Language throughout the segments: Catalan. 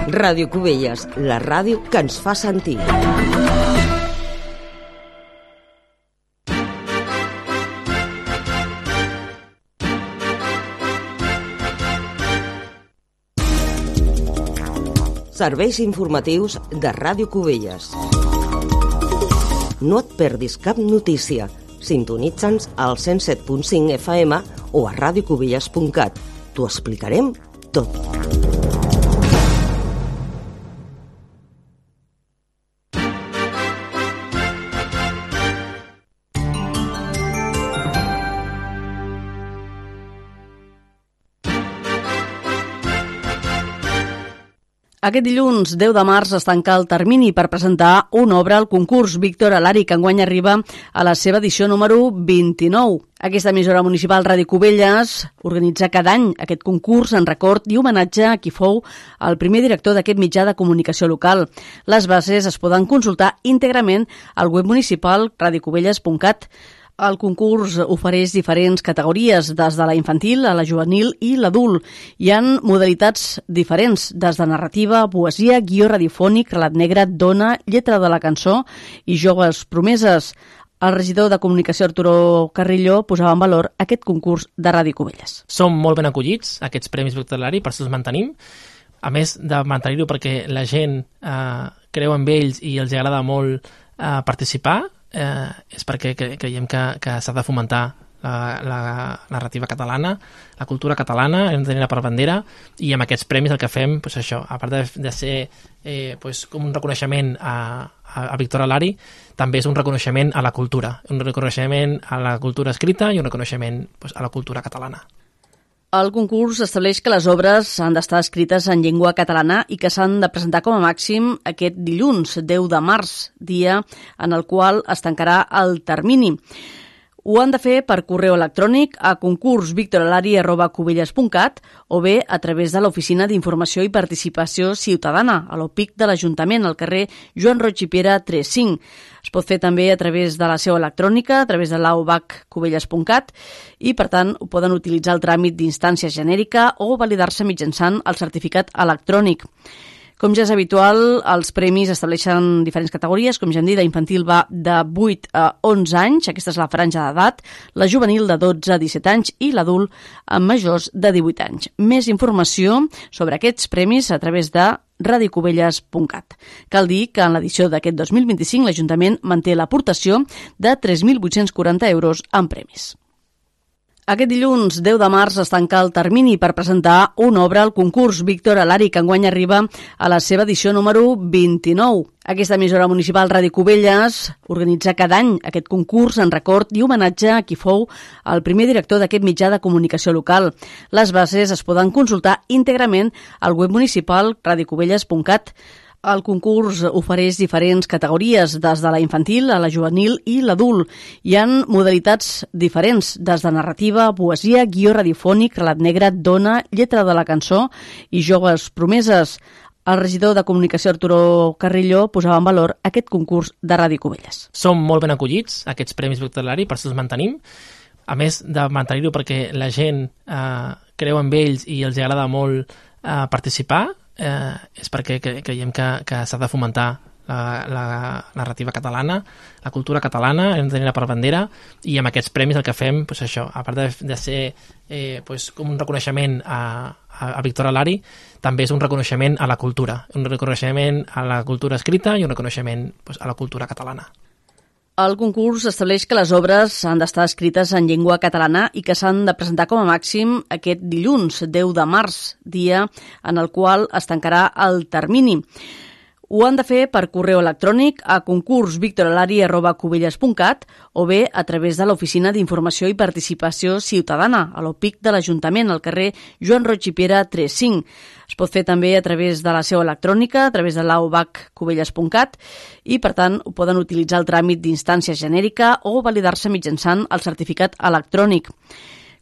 Ràdio Cubelles, la ràdio que ens fa sentir. Serveis informatius de Ràdio Cubelles. No et perdis cap notícia. Sintonitza'ns al 107.5 FM o a radiocubelles.cat. T'ho explicarem tot. Aquest dilluns, 10 de març, es tanca el termini per presentar una obra al concurs Víctor Alari, que enguany arriba a la seva edició número 29. Aquesta emissora municipal Ràdio Cubelles organitza cada any aquest concurs en record i homenatge a qui fou el primer director d'aquest mitjà de comunicació local. Les bases es poden consultar íntegrament al web municipal radiocubelles.cat. El concurs ofereix diferents categories, des de la infantil a la juvenil i l'adult. Hi ha modalitats diferents, des de narrativa, poesia, guió radiofònic, relat negre, dona, lletra de la cançó i joves promeses. El regidor de Comunicació, Arturo Carrillo, posava en valor aquest concurs de Ràdio Cubelles. Som molt ben acollits, aquests Premis Víctor Alari, per això els mantenim. A més de mantenir-ho perquè la gent creu en ells i els agrada molt participar, és perquè creiem que s'ha de fomentar la narrativa catalana, la cultura catalana, hem de tenir-la per bandera, i amb aquests premis el que fem, doncs això, a part de ser com un reconeixement a Víctor Alari, també és un reconeixement a la cultura, un reconeixement a la cultura escrita i un reconeixement a la cultura catalana. El concurs estableix que les obres han d'estar escrites en llengua catalana i que s'han de presentar com a màxim aquest dilluns, 10 de març, dia en el qual es tancarà el termini. Ho han de fer per correu electrònic a concursvictoralari@cubelles.cat o bé a través de l'Oficina d'Informació i Participació Ciutadana, a l'OPIC de l'Ajuntament, al carrer Joan Roig i Piera 35. Es pot fer també a través de la seu electrònica, a través de l'aubaccubelles.cat, i, per tant, ho poden utilitzar el tràmit d'instància genèrica o validar-se mitjançant el certificat electrònic. Com ja és habitual, els premis estableixen diferents categories. Com ja hem dit, la infantil va de 8 a 11 anys, aquesta és la franja d'edat, la juvenil de 12 a 17 anys i l'adult amb majors de 18 anys. Més informació sobre aquests premis a través de radiocubelles.cat. Cal dir que en l'edició d'aquest 2025 l'Ajuntament manté l'aportació de 3.840 euros en premis. Aquest dilluns, 10 de març, es tanca el termini per presentar una obra al concurs Víctor Alari, que enguany arriba a la seva edició número 29. Aquesta emissora municipal Ràdio Cubelles organitza cada any aquest concurs en record i homenatge a qui fou el primer director d'aquest mitjà de comunicació local. Les bases es poden consultar íntegrament al web municipal radiocubelles.cat. El concurs ofereix diferents categories, des de la infantil a la juvenil i l'adult. Hi ha modalitats diferents, des de narrativa, poesia, guió radiofònic, relat negre, dona, lletra de la cançó i joves promeses. El regidor de Comunicació, Arturo Carrillo, posava en valor aquest concurs de Ràdio Cubelles. Som molt ben acollits, aquests Premis Víctor Alari, per això els mantenim. A més de mantenir-ho perquè la gent creu en ells i els agrada molt participar, és perquè creiem que s'ha de fomentar la narrativa catalana, la cultura catalana, hem de tenir-la per bandera, i amb aquests premis el que fem, doncs això, a part de ser com un reconeixement a Víctor Alari, també és un reconeixement a la cultura, un reconeixement a la cultura escrita i un reconeixement a la cultura catalana. El concurs estableix que les obres han d'estar escrites en llengua catalana i que s'han de presentar com a màxim aquest dilluns, 10 de març, dia en el qual es tancarà el termini. Ho han de fer per correu electrònic a concursvictoralari@cubelles.cat o bé a través de l'Oficina d'Informació i Participació Ciutadana, a l'OPIC de l'Ajuntament, al carrer Joan Roig i Piera 35. Es pot fer també a través de la seu electrònica, a través de l'aubaccubelles.cat, i, per tant, ho poden utilitzar el tràmit d'instància genèrica o validar-se mitjançant el certificat electrònic.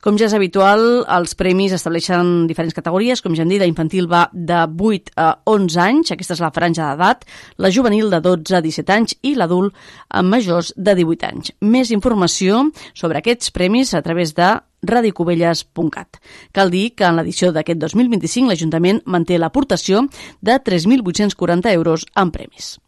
Com ja és habitual, els premis estableixen diferents categories. Com ja hem dit, la infantil va de 8 a 11 anys, aquesta és la franja d'edat, la juvenil de 12 a 17 anys i l'adult amb majors de 18 anys. Més informació sobre aquests premis a través de radiocubelles.cat. Cal dir que en l'edició d'aquest 2025 l'Ajuntament manté l'aportació de 3.840 euros en premis.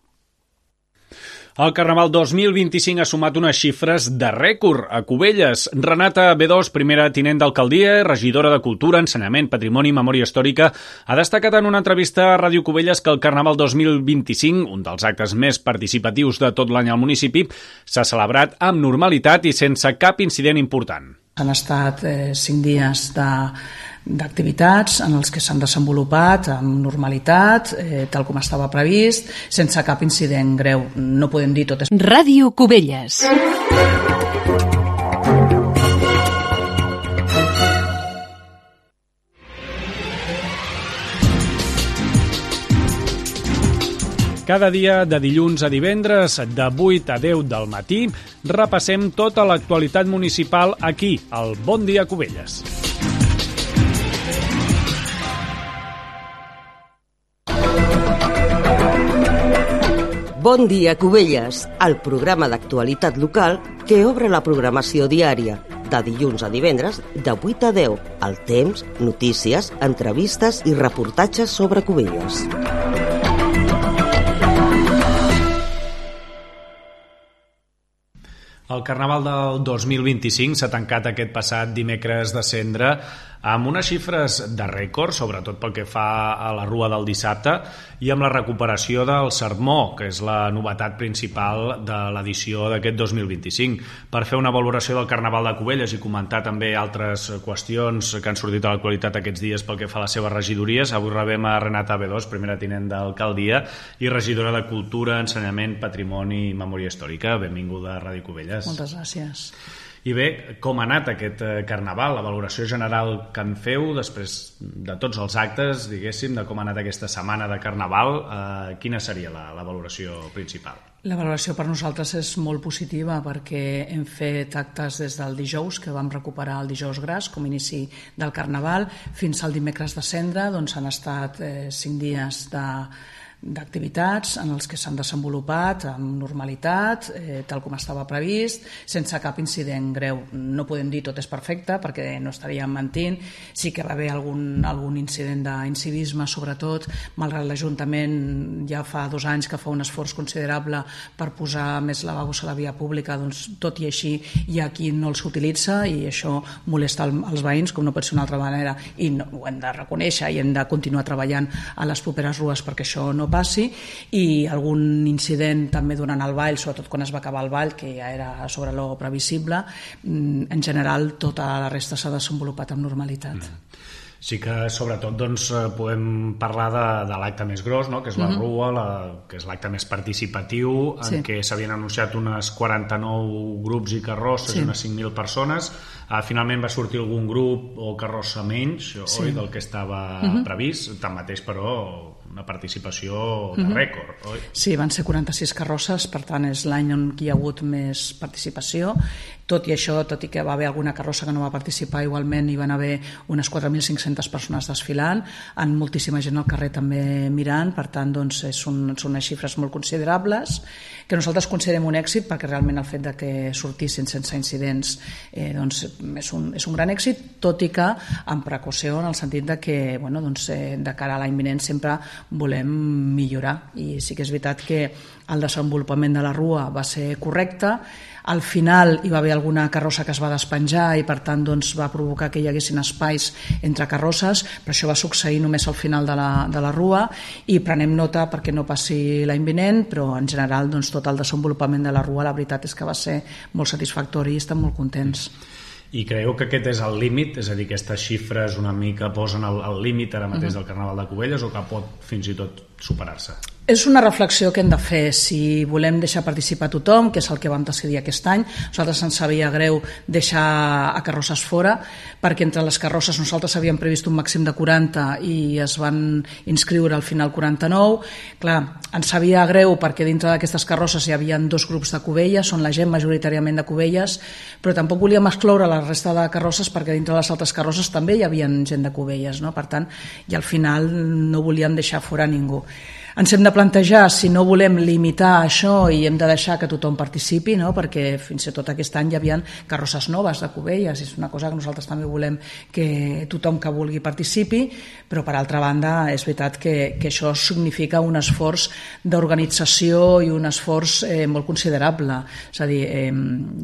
El Carnaval 2025 ha sumat unes xifres de rècord a Cubelles. Renata B2, primera tinent d'alcaldia, regidora de Cultura, Ensenyament, Patrimoni i Memòria Històrica, ha destacat en una entrevista a Ràdio Cubelles que el Carnaval 2025, un dels actes més participatius de tot l'any al municipi, s'ha celebrat amb normalitat i sense cap incident important. Han estat 5 dies d'activitats en els que s'han desenvolupat amb normalitat, tal com estava previst, sense cap incident greu. No podem dir tot. Ràdio Cubelles. Cada dia, de dilluns a divendres, de 8 a 10 del matí, repassem tota l'actualitat municipal aquí, al Bon Dia Cubelles. Bon dia, Cubelles, el programa d'actualitat local que obre la programació diària, de dilluns a divendres, de 8 a 10, el temps, notícies, entrevistes i reportatges sobre Cubelles. El Carnaval del 2025 s'ha tancat aquest passat dimecres de Cendra amb unes xifres de rècord, sobretot pel que fa a la rua del dissabte, i amb la recuperació del sermó, que és la novetat principal de l'edició d'aquest 2025. Per fer una valoració del Carnaval de Cubelles i comentar també altres qüestions que han sortit a l'actualitat aquests dies pel que fa a les seves regidories, avui rebem a Renata B2, primera tinent d'alcaldia i regidora de Cultura, Ensenyament, Patrimoni i Memòria Històrica. Benvinguda a Ràdio Cubelles. Moltes gràcies. I bé, com ha anat aquest Carnaval, la valoració general que en feu després de tots els actes, diguéssim, de com ha anat aquesta setmana de Carnaval, quina seria la valoració principal? La valoració per nosaltres és molt positiva perquè hem fet actes des del dijous, que vam recuperar el dijous gras com a inici del Carnaval, fins al dimecres de Cendra, doncs han estat 5 dies d'activitats en els que s'han desenvolupat amb normalitat, tal com estava previst, sense cap incident greu. No podem dir tot és perfecte perquè no estaríem mentint. Sí que va haver algun incident d'incivisme, sobretot, malgrat l'Ajuntament ja fa 2 anys que fa un esforç considerable per posar més lavabos a la via pública, doncs tot i així hi ha qui no els utilitza i això molesta els veïns, com no pot ser una altra manera, i ho hem de reconèixer i hem de continuar treballant a les properes rues perquè això no passi, i algun incident també durant el ball, sobretot quan es va acabar el ball, que ja era sobre lo previsible. En general tota la resta s'ha desenvolupat amb normalitat. Sí que sobretot doncs, podem parlar de l'acte més gros, no? Que és la rua, que és l'acte més participatiu, en què s'havien anunciat unes 49 grups i carrosses i unes 5.000 persones. Finalment va sortir algun grup o carrossa menys, oi, del que estava previst, tanmateix però una participació de rècord, oi? Sí, van ser 46 carrosses, per tant és l'any on hi ha hagut més participació. Tot i això, tot i que va haver alguna carrossa que no va participar, igualment hi van haver unes 4.500 persones desfilant, amb moltíssima gent al carrer també mirant, per tant doncs, són unes xifres molt considerables que nosaltres considerem un èxit perquè realment el fet de que sortissin sense incidents doncs, és un gran èxit, tot i que amb precaució en el sentit de que de cara a l'any vinent sempre volem millorar, i sí que és veritat que el desenvolupament de la rua va ser correcte. Al final hi va haver alguna carrossa que es va despenjar i per tant doncs, va provocar que hi haguessin espais entre carrosses, però això va succeir només al final de la rua i prenem nota perquè no passi l'any vinent, però en general doncs, tot el desenvolupament de la rua la veritat és que va ser molt satisfactori i estem molt contents. I creieu que aquest és el límit? És a dir, aquestes xifres una mica posen el límit ara mateix del Carnaval de Cubelles o que pot fins i tot superar-se? És una reflexió que hem de fer. Si volem deixar participar tothom, que és el que vam decidir aquest any, nosaltres ens sabia greu deixar a carrosses fora, perquè entre les carrosses nosaltres havíem previst un màxim de 40 i es van inscriure al final 49. Clar, ens sabia greu perquè dintre d'aquestes carrosses hi havia 2 grups de Cubelles, són la gent majoritàriament de Cubelles, però tampoc volíem excloure la resta de carrosses perquè dintre les altres carrosses també hi havia gent de Cubelles, no? Per tant, i al final no volíem deixar fora ningú. Ens hem de plantejar si no volem limitar això i hem de deixar que tothom participi, no? Perquè fins i tot aquest any hi havia carrosses noves de Cubelles, és una cosa que nosaltres també volem que tothom que vulgui participi, però per altra banda és veritat que això significa un esforç d'organització i un esforç molt considerable. És a dir,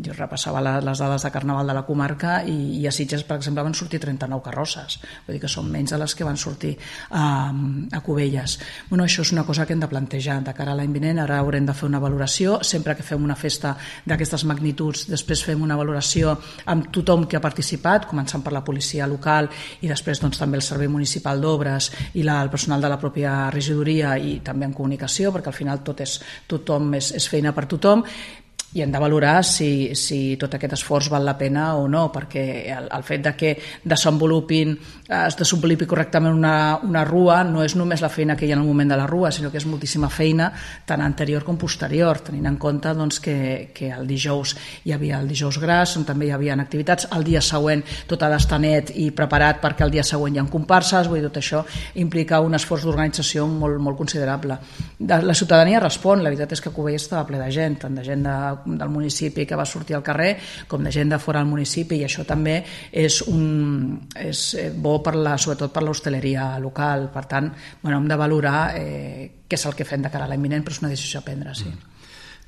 jo repassava les dades de Carnaval de la comarca i a Sitges, per exemple, van sortir 39 carrosses, vull dir que són menys de les que van sortir a Cubelles. Bueno, això és una cosa que hem de plantejar de cara a l'any vinent. Ara haurem de fer una valoració, sempre que fem una festa d'aquestes magnituds, després fem una valoració amb tothom que ha participat, començant per la policia local i després doncs, també el Servei Municipal d'Obres i el personal de la pròpia regidoria i també en comunicació, perquè al final tothom és feina per tothom, i hem de valorar si tot aquest esforç val la pena o no, perquè el fet de que es desenvolupi correctament una rua no és només la feina que hi ha en el moment de la rua, sinó que és moltíssima feina tant anterior com posterior, tenint en compte doncs, que el dijous hi havia el dijous gras, on també hi havia activitats, el dia següent tot ha d'estar net i preparat perquè el dia següent hi ha comparses, vull dir, tot això implica un esforç d'organització molt, molt considerable. La ciutadania respon, la veritat és que Cubelles estava ple de gent, tant de gent del municipi que va sortir al carrer com de gent de fora del municipi, i això també és bo sobretot per l'hostaleria local. Per tant, hem de valorar què és el que fem de cara a l'any vinent, però és una decisió a prendre, sí.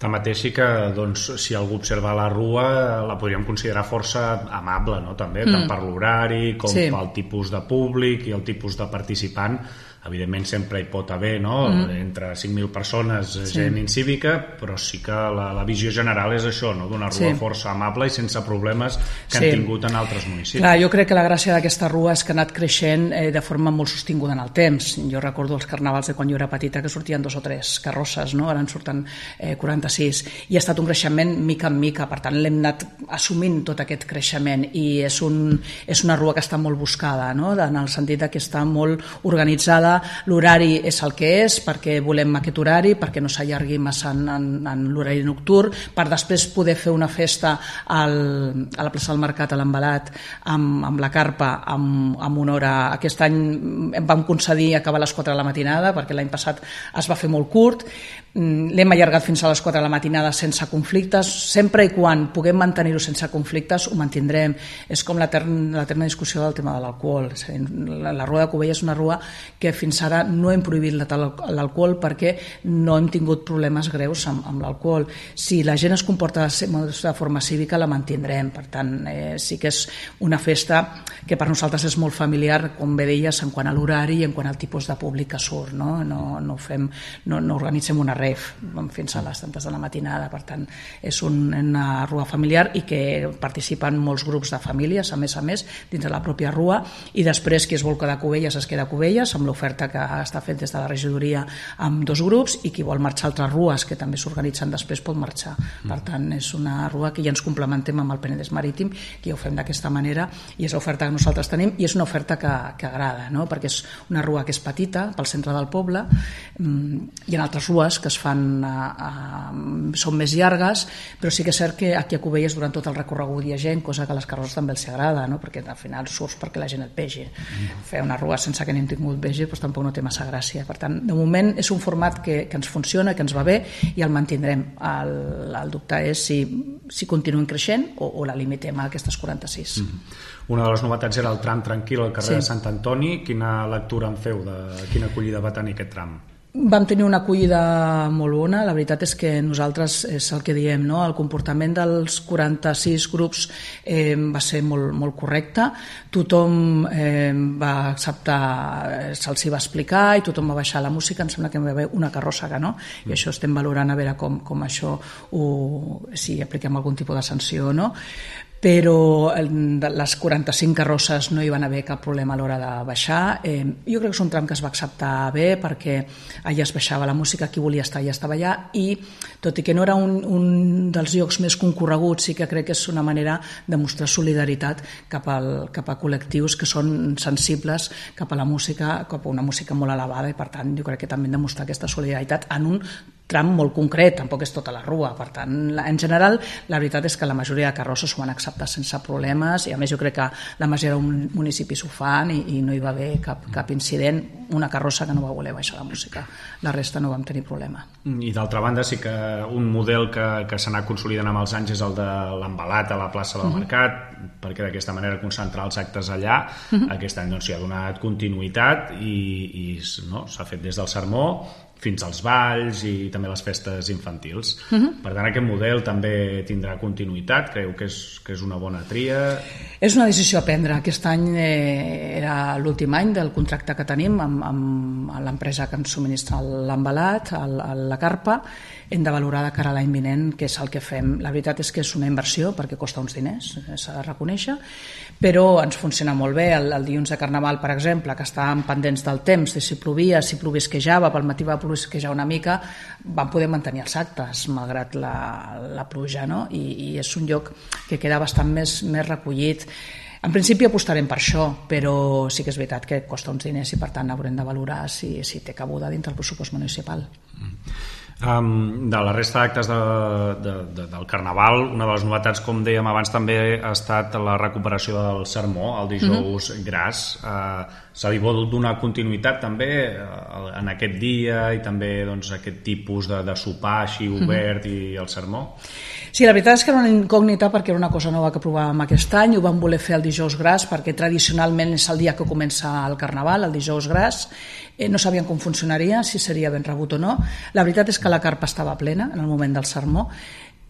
Tanmateix sí que si algú observa la rua la podríem considerar força amable, no? També, tant per l'horari com pel tipus de públic i el tipus de participant. Evidentment sempre hi pot haver, no? Entre 5.000 persones, gent incívica, però sí que la visió general és això, no? D'una rua força amable i sense problemes que han tingut en altres municipis. Clar, jo crec que la gràcia d'aquesta rua és que ha anat creixent de forma molt sostinguda en el temps. Jo recordo els carnavals de quan jo era petita que sortien 2 o 3 carrosses, no? Ara en surten 46, i ha estat un creixement mica en mica, per tant l'hem anat assumint tot aquest creixement, i és una rua que està molt buscada, no? En el sentit que està molt organitzada. L'horari és el que és, perquè volem aquest horari, perquè no s'allargui massa en l'horari nocturn, per després poder fer una festa a la plaça del Mercat, a l'Embalat, amb la carpa, amb una hora. Aquest any vam concedir acabar a les 4 de la matinada, perquè l'any passat es va fer molt curt. L'hem allargat fins a les 4 de la matinada sense conflictes. Sempre i quan puguem mantenir-ho sense conflictes, ho mantindrem. És com l'eterna discussió del tema de l'alcohol. La rua de Cubelles és una rua que fins ara no hem prohibit l'alcohol perquè no hem tingut problemes greus amb l'alcohol. Si la gent es comporta de forma cívica, la mantindrem. Per tant, sí que és una festa que per nosaltres és molt familiar, com bé deies, en quant a l'horari i en quant al tipus de públic que surt. No organitzem una ref fins a les tantes de la matinada. Per tant, és una rua familiar i que participen molts grups de famílies, a més, dins de la pròpia rua, i després qui es vol quedar a Cubelles es queda a Cubelles, amb l'oferta que està fet des de la regidoria amb 2 grups, i qui vol marxar a altres rues que també s'organitzen després pot marxar. Per tant, és una rua que ja ens complementem amb el Penedès Marítim, que ja ho fem d'aquesta manera, i és l'oferta que nosaltres tenim, i és una oferta que agrada, no? Perquè és una rua que és petita pel centre del poble. Hi ha altres rues que es fan són més llargues, però sí que és cert que aquí a Cubelles durant tot el recorregut hi ha gent, cosa que a les carrosses també els agrada, no? Perquè al final surts perquè la gent et vegi. Fer una rua sense que n'hem tingut vegi doncs tampoc no té massa gràcia. Per tant, de moment és un format que ens funciona, que ens va bé, i el mantindrem. El dubte és si continuem creixent o la limitem a aquestes 46. Una de les novetats era el tram tranquil al carrer de Sant Antoni. Quina lectura en feu? Quina acollida va tenir aquest tram? Vam tenir una acollida molt bona. La veritat és que nosaltres, és el que diem, no? El comportament dels 46 grups va ser molt, molt correcte. Tothom va acceptar, se'ls va explicar, i tothom va baixar la música. Em sembla que hi va haver una carrossa que no, i això estem valorant a veure com això si apliquem algun tipus de sanció o no. però les 45 carrosses no hi van haver cap problema a l'hora de baixar. Jo crec que és un tram que es va acceptar bé perquè allà es baixava la música, qui volia estar allà estava allà, i tot i que no era un dels llocs més concorreguts, sí que crec que és una manera de mostrar solidaritat cap a col·lectius que són sensibles cap a la música, cap a una música molt elevada, i per tant jo crec que també hem de mostrar aquesta solidaritat en un tram molt concret, tampoc és tota la rua. Per tant, en general, la veritat és que la majoria de carrosses ho van acceptar sense problemes, i a més jo crec que la majoria de municipis ho fan i no hi va haver cap incident. Una carrossa que no va voler baixar la música, la resta no vam tenir problema. I d'altra banda sí que un model que s'ha anat consolidant amb els anys és el de l'embalat a la plaça del Mercat, perquè d'aquesta manera concentrar els actes allà. Aquest any s'hi ha donat continuïtat i s'ha fet des del sermó fins als balls i també les festes infantils. Per tant, aquest model també tindrà continuïtat? Creu que és una bona tria? És una decisió a prendre. Aquest any era l'últim any del contracte que tenim amb l'empresa que ens subministra l'embalat, la carpa. Hem de valorar de cara a l'any vinent què és el que fem. La veritat és que és una inversió perquè costa uns diners, s'ha de reconèixer, però ens funciona molt bé. El dilluns de Carnaval, per exemple, que estàvem pendents del temps, de si plovia, si plovisquejava, pel matí va plovisquejar una mica, vam poder mantenir els actes malgrat la pluja, no? I és un lloc que queda bastant més recollit. En principi apostarem per això, però sí que és veritat que costa uns diners i per tant haurem de valorar si té cabuda dintre el pressupost municipal. De la resta d'actes del Carnaval, una de les novetats, com dèiem abans, també ha estat la recuperació del sermó, el dijous gras. S'ha volgut donar continuïtat també en aquest dia i també aquest tipus de sopar així obert i el sermó? Sí, la veritat és que era una incògnita perquè era una cosa nova que provàvem aquest any. Ho vam voler fer el dijous gras perquè tradicionalment és el dia que comença el Carnaval, el dijous gras. No sabíem com funcionaria, si seria ben rebut o no. La veritat és que la carpa estava plena en el moment del sermó.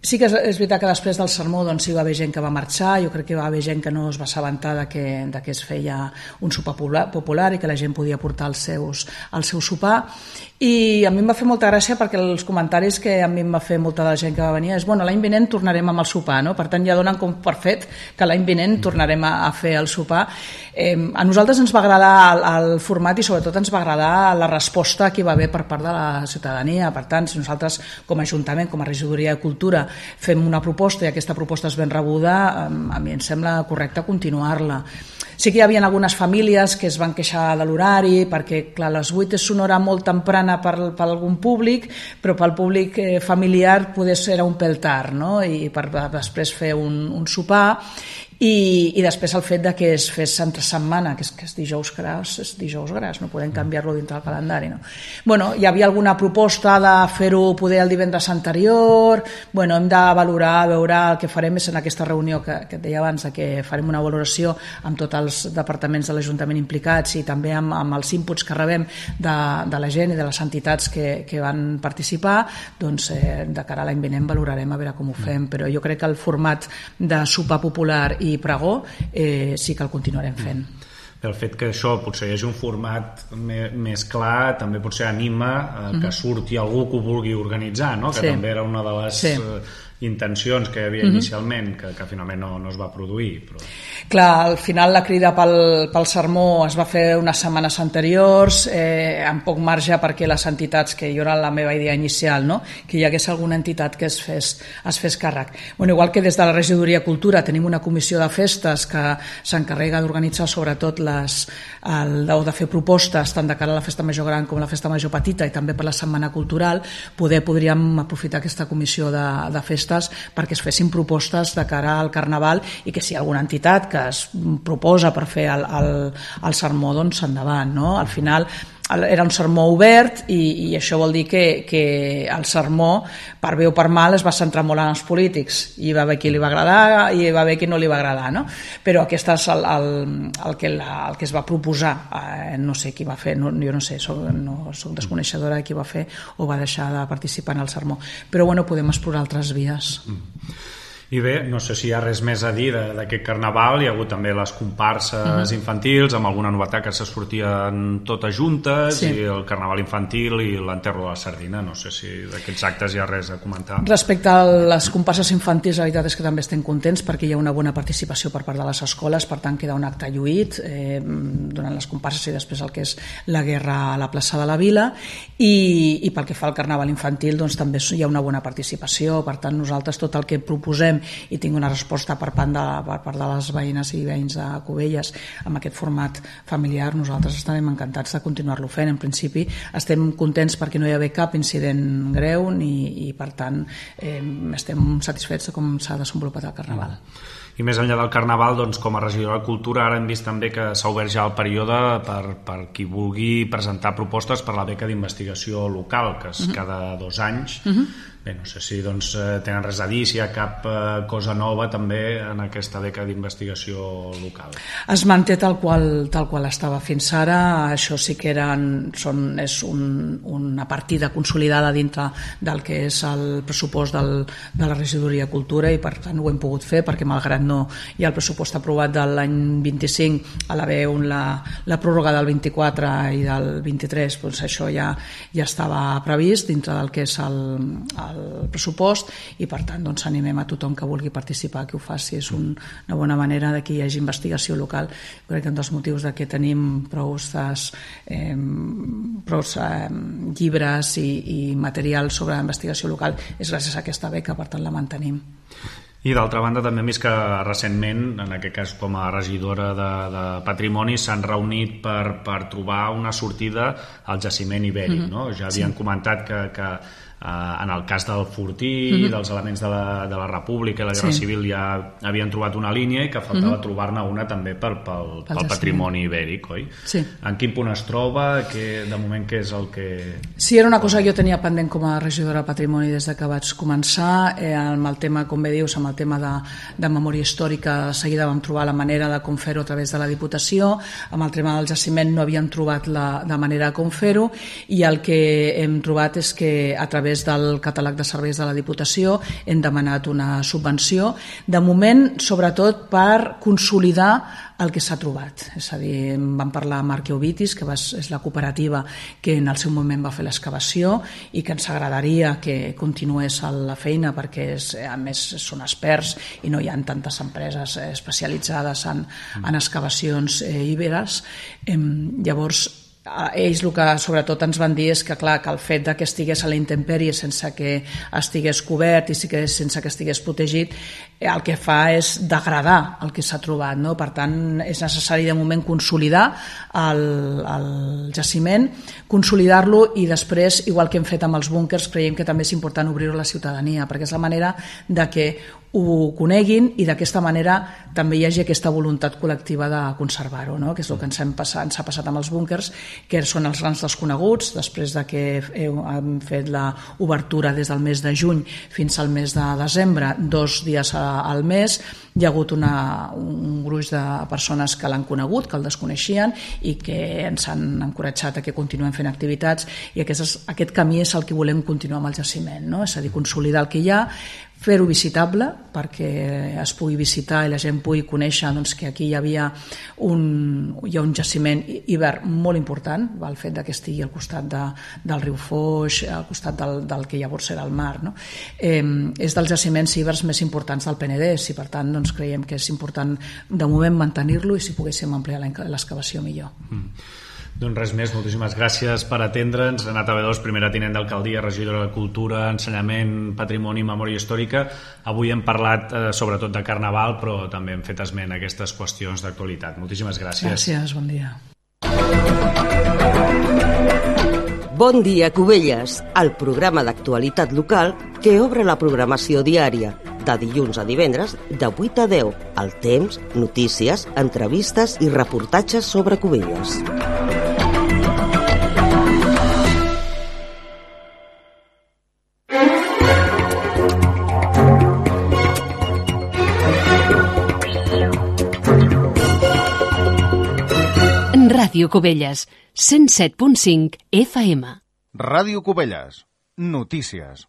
Sí que és veritat que després del sermó hi va haver gent que va marxar, jo crec que va haver gent que no es va assabentar que es feia un sopar popular i que la gent podia portar el seu sopar, i a mi em va fer molta gràcia perquè els comentaris que a mi em va fer molta de la gent que va venir és l'any vinent tornarem amb el sopar, no? Per tant ja donen com per fet que l'any vinent tornarem a fer el sopar. A nosaltres ens va agradar el format i sobretot ens va agradar la resposta que hi va haver per part de la ciutadania. Per tant, si nosaltres com a Ajuntament, com a Regidoria de Cultura fem una proposta i aquesta proposta és ben rebuda, a mi em sembla correcte continuar-la. Sí que hi havia algunes famílies que es van queixar de l'horari perquè, clar, les 8 és una hora molt temprana per algun públic, però pel públic familiar poder ser un pèl tard, no? I per després fer un sopar. I després el fet que es fes entre setmana, que és dijous gras, no podem canviar-lo dintre del calendari, no? Hi havia alguna proposta de fer-ho poder el divendres anterior. Hem de valorar, veure el que farem és en aquesta reunió que et deia abans, que farem una valoració amb tots els departaments de l'Ajuntament implicats i també amb els inputs que rebem de la gent i de les entitats que van participar. De cara a l'any vinent valorarem a veure com ho fem, però jo crec que el format de sopar popular i pregó sí que el continuarem fent. El fet que això potser hi hagi un format més clar també potser anima que surti algú que ho vulgui organitzar, no? Que també era una de les intencions que hi havia inicialment, que finalment no es va produir. Però... Clar, al final la crida pel sermó es va fer unes setmanes anteriors, amb poc marge perquè les entitats, que jo era la meva idea inicial, no? Que hi hagués alguna entitat que es fes càrrec. Igual que des de la Regidoria de Cultura tenim una comissió de festes que s'encarrega d'organitzar sobretot de fer propostes tant de cara a la festa major gran com a la festa major petita i també per la setmana cultural, podríem aprofitar aquesta comissió de festes perquè es fessin propostes de cara al Carnaval i que si hi ha alguna entitat que es proposa per fer el sermó, endavant, no? Al final era un sermó obert i això vol dir que el sermó, per bé o per mal, es va centrar molt en els polítics. Hi va haver qui li va agradar i hi va haver qui no li va agradar, no? Però aquest és el que es va proposar. No sé qui va fer, jo no sé, soc desconeixedora de qui va fer o va deixar de participar en el sermó. Però podem explorar altres vies. I bé, no sé si hi ha res més a dir d'aquest carnaval. Hi ha hagut també les comparses infantils, amb alguna novetat que se sortien totes juntes, i el carnaval infantil i l'enterro de la sardina. No sé si d'aquests actes hi ha res a comentar. Respecte a les comparses infantils, la veritat és que també estem contents perquè hi ha una bona participació per part de les escoles, per tant queda un acte lluït durant les comparses i després el que és la guerra a la plaça de la Vila, i pel que fa al carnaval infantil doncs també hi ha una bona participació. Per tant, nosaltres tot el que proposem i tinc una resposta per part de les veïnes i veïns de Cubelles amb aquest format familiar, nosaltres estarem encantats de continuar-lo fent. En principi estem contents perquè no hi ha cap incident greu i per tant estem satisfets de com s'ha desenvolupat el carnaval. I més enllà del carnaval, doncs, com a regidora de Cultura, ara hem vist també que s'ha obert ja el període per qui vulgui presentar propostes per la beca d'investigació local, que és cada 2 anys. Bé, no sé si doncs, tenen res a dir, si hi ha cap cosa nova també en aquesta beca d'investigació local. Es manté tal qual estava fins ara. Això sí que és una partida consolidada dintre del que és el pressupost de la regidoria de Cultura, i per tant ho hem pogut fer perquè malgrat no hi ha el pressupost aprovat de l'any 25, a l'haver la pròrroga del 24 i del 23, doncs això ja estava previst dintre del que és el pressupost, i per tant doncs animem a tothom que vulgui participar que ho faci. És una bona manera de que hi hagi investigació local. Crec que un dels motius de que tenim prou llibres i material sobre investigació local és gràcies a aquesta beca, per tant la mantenim. I d'altra banda també hem vist que recentment, en aquest cas com a regidora de Patrimoni, s'han reunit per trobar una sortida al jaciment ibèric, no? Ja havien comentat que en el cas del Fortí, dels elements de la República i la Guerra Civil ja havien trobat una línia i que faltava trobar-ne una també pel patrimoni ibèric, oi? Sí. En quin punt es troba? De moment què és el que... Sí, era una cosa que jo tenia pendent com a regidora de Patrimoni des de que vaig començar, amb el tema, com bé dius, amb el tema de memòria històrica. De seguida vam trobar la manera de com fer-ho a través de la Diputació. Amb el tema del jaciment no havíem trobat la manera de com fer-ho, i el que hem trobat és que a través del catàleg de serveis de la Diputació hem demanat una subvenció, de moment sobretot per consolidar el que s'ha trobat. És a dir, vam parlar amb Arqueovitis, que és la cooperativa que en el seu moment va fer l'excavació i que ens agradaria que continués la feina perquè a més són experts i no hi ha tantes empreses especialitzades en excavacions íberes. Llavors ells el que sobretot ens van dir és que, clar, que el fet que estigués a la intempèrie sense que estigués cobert i sense que estigués protegit, el que fa és degradar el que s'ha trobat, no? Per tant, és necessari de moment consolidar el jaciment, consolidar-lo, i després, igual que hem fet amb els búnquers, creiem que també és important obrir-ho a la ciutadania, perquè és la manera de que ho coneguin i d'aquesta manera també hi hagi aquesta voluntat col·lectiva de conservar-ho, no? Que és el que ens ha passat amb els búnquers, que són els grans desconeguts. Després de que hem fet l'obertura des del mes de juny fins al mes de desembre, 2 dies al mes, hi ha hagut un gruix de persones que l'han conegut, que el desconeixien i que ens han encoratjat a que continuem fent activitats, i aquest camí és el que volem continuar amb el jaciment, no? És a dir, consolidar el que hi ha, fer-ho visitable perquè es pugui visitar i la gent pugui conèixer que aquí hi ha un jaciment ibèric molt important, el fet que estigui al costat del riu Foix, al costat del que llavors era el mar, no? És dels jaciments ibers més importants del Penedès, i per tant creiem que és important de moment mantenir-lo, i si poguéssim ampliar l'excavació millor. Doncs res més, moltíssimes gràcies per atendre'ns. Renata Bedós, primera tinent d'alcaldia, regidora de Cultura, Ensenyament, Patrimoni i Memòria Històrica. Avui hem parlat sobretot de Carnaval, però també hem fet esment a aquestes qüestions d'actualitat. Moltíssimes gràcies. Gràcies, bon dia. Bon dia, Cubelles, el programa d'actualitat local que obre la programació diària, de dilluns a divendres, de 8 a 10, al temps, notícies, entrevistes i reportatges sobre Cubelles. Ràdio Cubelles, 107.5 FM. Ràdio Cubelles, notícies.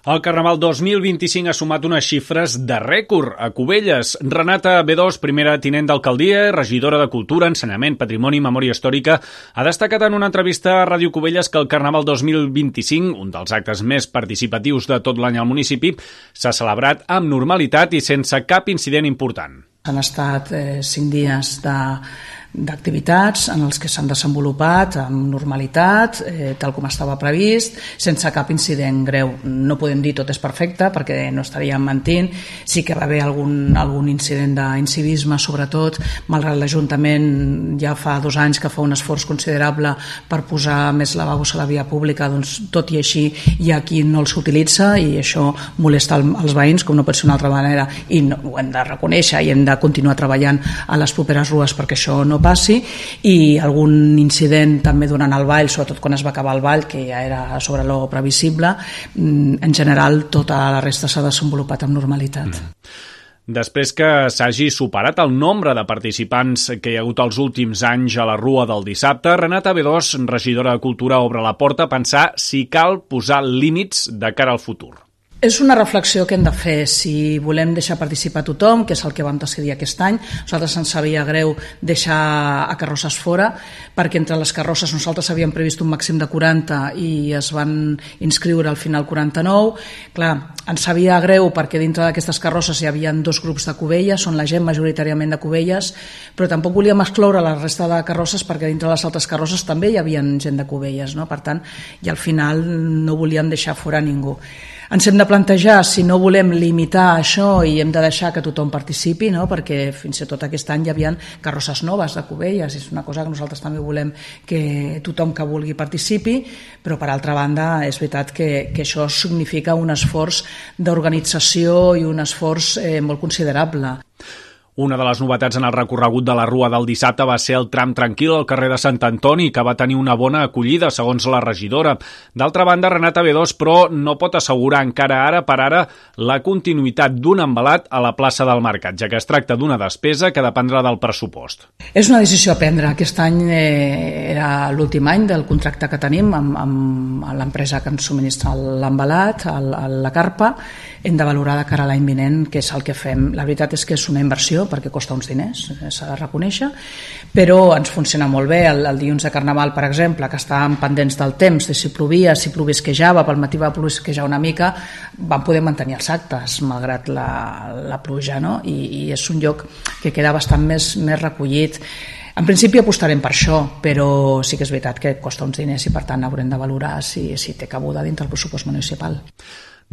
El Carnaval 2025 ha sumat unes xifres de rècord a Cubelles. Renata B2, primera tinent d'alcaldia, regidora de Cultura, Ensenyament, Patrimoni i Memòria Històrica, ha destacat en una entrevista a Ràdio Cubelles que el Carnaval 2025, un dels actes més participatius de tot l'any al municipi, s'ha celebrat amb normalitat i sense cap incident important. Han estat 5 dies d'activitats en els que s'han desenvolupat amb normalitat, tal com estava previst, sense cap incident greu. No podem dir tot és perfecte perquè no estaríem mentint. Sí que va haver algun incident d'incivisme, sobretot, malgrat l'Ajuntament ja fa 2 anys que fa un esforç considerable per posar més lavabos a la via pública, doncs tot i així hi ha qui no els utilitza i això molesta els veïns, com no pot ser d'una altra manera, i ho hem de reconèixer i hem de continuar treballant a les properes rues perquè això no passi, i algun incident també durant el ball, sobretot quan es va acabar el ball, que ja era sobre lo previsible. En general tota la resta s'ha desenvolupat amb normalitat. Després que s'hagi superat el nombre de participants que hi ha hagut els últims anys a la Rua del dissabte, Renata B2, regidora de Cultura, obre la porta a pensar si cal posar límits de cara al futur. És una reflexió que hem de fer. Si volem deixar participar tothom, que és el que vam decidir aquest any, nosaltres ens sabia greu deixar a carrosses fora, perquè entre les carrosses nosaltres havíem previst un màxim de 40 i es van inscriure al final 49. Clar, ens sabia greu perquè dintre d'aquestes carrosses hi havia 2 grups de Cubelles, són la gent majoritàriament de Cubelles, però tampoc volíem excloure la resta de carrosses perquè dintre les altres carrosses també hi havia gent de Cubelles, no? Per tant, i al final no volíem deixar fora ningú. Ens hem de plantejar si no volem limitar això i hem de deixar que tothom participi, no? Perquè fins i tot aquest any hi havia carrosses noves de Cubelles, és una cosa que nosaltres també volem que tothom que vulgui participi, però per altra banda és veritat que això significa un esforç d'organització i un esforç molt considerable. Una de les novetats en el recorregut de la Rua del dissabte va ser el tram tranquil al carrer de Sant Antoni, que va tenir una bona acollida, segons la regidora. D'altra banda, Renata B2, però, no pot assegurar encara ara per ara la continuïtat d'un embalat a la plaça del Mercat, ja que es tracta d'una despesa que dependrà del pressupost. És una decisió a prendre. Aquest any era l'últim any del contracte que tenim amb l'empresa que ens subministra l'embalat, la carpa. Hem de valorar de cara a l'any vinent què és el que fem. La veritat és que és una inversió perquè costa uns diners, s'ha de reconèixer, però ens funciona molt bé. El dilluns de Carnaval, per exemple, que estàvem pendents del temps, de si plovia, si plovisquejava, pel matí va plovisquejar una mica, vam poder mantenir els actes malgrat la pluja, no? I és un lloc que queda bastant més recollit. En principi apostarem per això, però sí que és veritat que costa uns diners i per tant haurem de valorar si té cabuda dintre el pressupost municipal.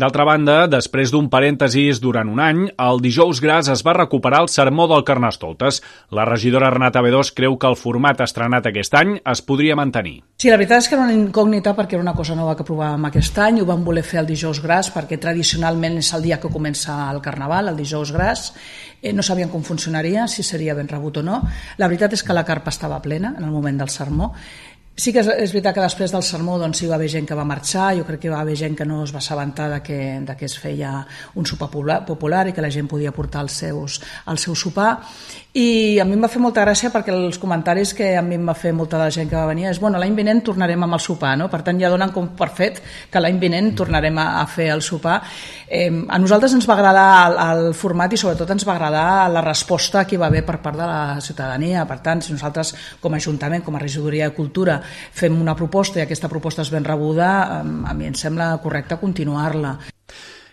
D'altra banda, després d'un parèntesis durant un any, el dijous gras es va recuperar el sermó del Carnestoltes. La regidora Renata B2 creu que el format estrenat aquest any es podria mantenir. Sí, la veritat és que era una incògnita perquè era una cosa nova que provàvem aquest any. Ho vam voler fer el dijous gras perquè tradicionalment és el dia que comença el Carnaval, el dijous gras. No sabíem com funcionaria, si seria ben rebut o no. La veritat és que la carpa estava plena en el moment del sermó. Sí que és veritat que després del sermó doncs, hi va haver gent que va marxar, jo crec que va haver gent que no es va assabentar que es feia un sopar popular i que la gent podia portar el seu sopar. I a mi em va fer molta gràcia perquè els comentaris que a mi em va fer molta de la gent que va venir és l'any vinent tornarem amb el sopar, no? Per tant ja donen com per fet que l'any vinent tornarem a fer el sopar. A nosaltres ens va agradar el format i sobretot ens va agradar la resposta que hi va haver per part de la ciutadania. Per tant, si nosaltres com a Ajuntament, com a Regidoria de Cultura fem una proposta i aquesta proposta és ben rebuda, a mi em sembla correcte continuar-la.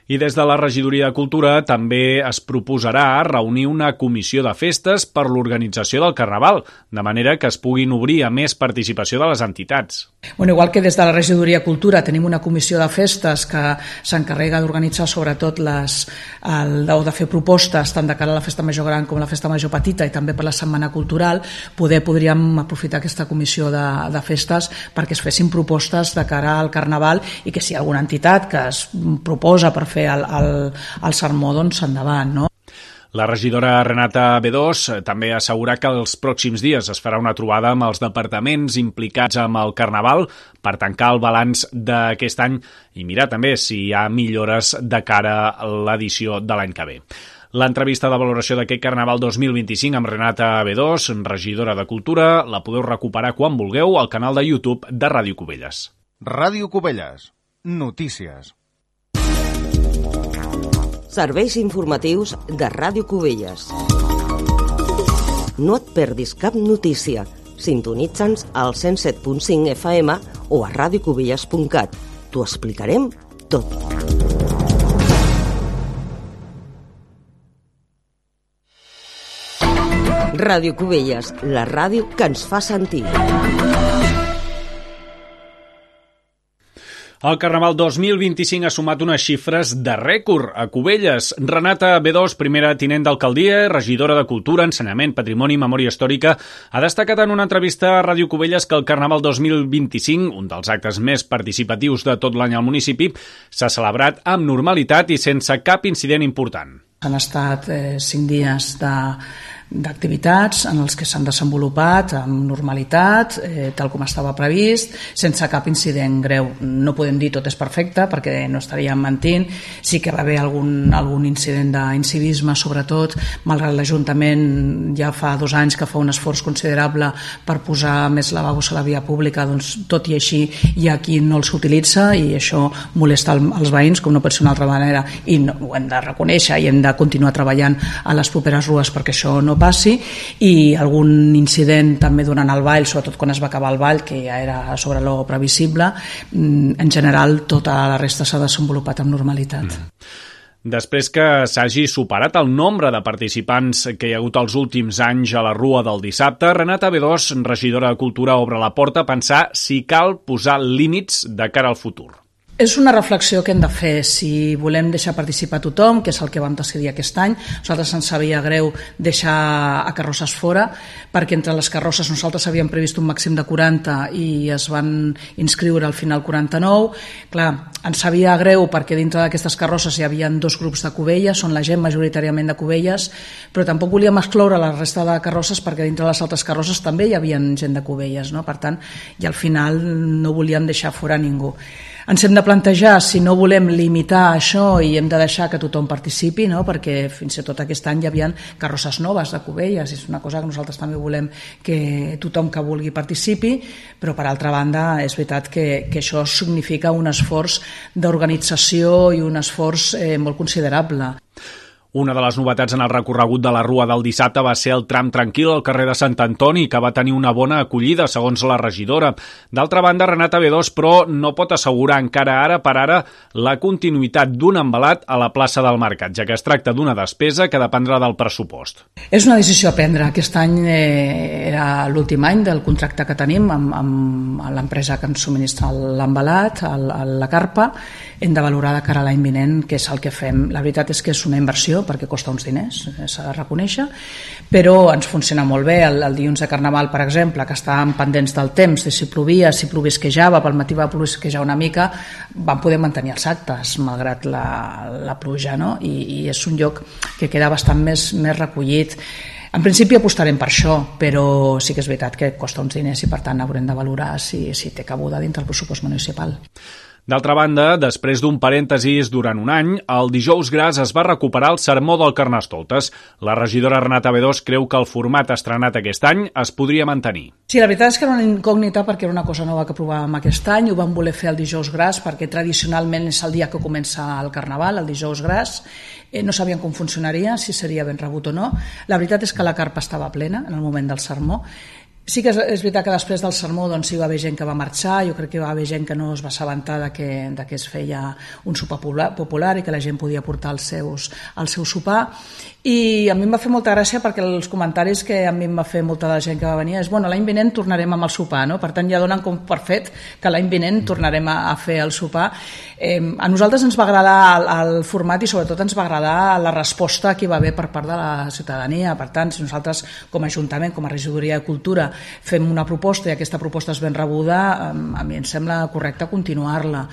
I des de la Regidoria de Cultura també es proposarà reunir una comissió de festes per l'organització del Carnaval, de manera que es puguin obrir a més participació de les entitats. Igual que des de la Regidoria de Cultura tenim una comissió de festes que s'encarrega d'organitzar sobretot o de fer propostes tant de cara a la Festa Major Gran com a la Festa Major Petita i també per la Setmana Cultural, podríem aprofitar aquesta comissió de festes perquè es fessin propostes de cara al Carnaval i que si hi ha alguna entitat que es proposa per fer el sermó, doncs endavant, no? La regidora Renata B2 també assegura que els pròxims dies es farà una trobada amb els departaments implicats amb el Carnaval per tancar el balanç d'aquest any i mirar també si hi ha millores de cara a l'edició de l'any que ve. L'entrevista de valoració d'aquest Carnaval 2025 amb Renata B2, regidora de Cultura, la podeu recuperar quan vulgueu al canal de YouTube de Ràdio Cubelles. Ràdio Cubelles. Notícies. Serveis informatius de Ràdio Cubelles. No et perdis cap notícia. Sintonitza'ns al 107.5 FM o a radiocubelles.cat. T'ho explicarem tot. Ràdio Cubelles, la ràdio que ens fa sentir. El Carnaval 2025 ha sumat unes xifres de rècord a Cubelles. Renata B2, primera tinent d'alcaldia, regidora de Cultura, Ensenyament, Patrimoni i Memòria Històrica, ha destacat en una entrevista a Ràdio Cubelles que el Carnaval 2025, un dels actes més participatius de tot l'any al municipi, s'ha celebrat amb normalitat i sense cap incident important. Han estat 5 dies d'activitats en els que s'han desenvolupat amb normalitat, tal com estava previst, sense cap incident greu. No podem dir tot és perfecte perquè no estaríem mentint. Sí que va haver algun incident d'incivisme, sobretot, malgrat l'Ajuntament ja fa 2 anys que fa un esforç considerable per posar més lavabos a la via pública, doncs tot i així hi ha qui no els utilitza i això molesta els veïns, com no pot ser d'una altra manera, i no, ho hem de reconèixer i hem de continuar treballant a les properes rues perquè això no passi, i algun incident també durant el ball, sobretot quan es va acabar el ball, que ja era sobre lo previsible. En general tota la resta s'ha desenvolupat amb normalitat. Després que s'hagi superat el nombre de participants que hi ha hagut els últims anys a la Rua del dissabte, Renata B2, regidora de Cultura, obre la porta a pensar si cal posar límits de cara al futur. És una reflexió que hem de fer si volem deixar participar tothom, que és el que vam decidir aquest any. Nosaltres ens sabia greu deixar a carrosses fora, perquè entre les carrosses nosaltres havíem previst un màxim de 40 i es van inscriure al final 49. Clar, ens sabia greu perquè dintre d'aquestes carrosses hi havia 2 grups de Cubelles, són la gent majoritàriament de Cubelles, però tampoc volíem excloure la resta de carrosses perquè dintre les altres carrosses també hi havia gent de Cubelles, no? Per tant, i al final no volíem deixar fora ningú. Ens hem de plantejar si no volem limitar això i hem de deixar que tothom participi, no? Perquè fins i tot aquest any hi havia carrosses noves de Cubelles, és una cosa que nosaltres també volem que tothom que vulgui participi, però per altra banda és veritat que això significa un esforç d'organització i un esforç molt considerable. Una de les novetats en el recorregut de la Rua del dissabte va ser el tram tranquil al carrer de Sant Antoni, que va tenir una bona acollida, segons la regidora. D'altra banda, Renata B2, però, no pot assegurar encara ara per ara la continuïtat d'un embalat a la plaça del Mercat, ja que es tracta d'una despesa que dependrà del pressupost. És una decisió a prendre. Aquest any era l'últim any del contracte que tenim amb l'empresa que ens subministra l'embalat, la carpa. Hem de valorar de cara a l'any vinent què és el que fem. La veritat és que és una inversió perquè costa uns diners, s'ha de reconèixer, però ens funciona molt bé. El dilluns de Carnaval, per exemple, que estàvem pendents del temps, de si plovia, si plovisquejava, pel matí va plovisquejar una mica, vam poder mantenir els actes, malgrat la pluja, no? I és un lloc que queda bastant més recollit. En principi apostarem per això, però sí que és veritat que costa uns diners i per tant haurem de valorar si té cabuda dintre el pressupost municipal. D'altra banda, després d'un parèntesis durant un any, el dijous gras es va recuperar el sermó del Carnestoltes. La regidora Renata B2 creu que el format estrenat aquest any es podria mantenir. Sí, la veritat és que era una incògnita perquè era una cosa nova que provàvem aquest any. Ho vam voler fer el dijous gras perquè tradicionalment és el dia que comença el Carnaval, el dijous gras. No sabíem com funcionaria, si seria ben rebut o no. La veritat és que la carpa estava plena en el moment del sermó. Sí que és veritat que després del sermó doncs, hi va haver gent que va marxar, jo crec que hi va haver gent que no es va assabentar de que es feia un sopar popular i que la gent podia portar el seu sopar, i a mi em va fer molta gràcia perquè els comentaris que a mi em va fer molta de la gent que va venir és bueno, l'any vinent tornarem amb el sopar, no? Per tant ja donen com per fet que l'any vinent tornarem a fer el sopar. A nosaltres ens va agradar el format i sobretot ens va agradar la resposta que hi va haver per part de la ciutadania. Per tant, si nosaltres com a Ajuntament, com a Regidoria de Cultura fem una proposta i aquesta proposta és ben rebuda, a mi em sembla correcte continuar-la.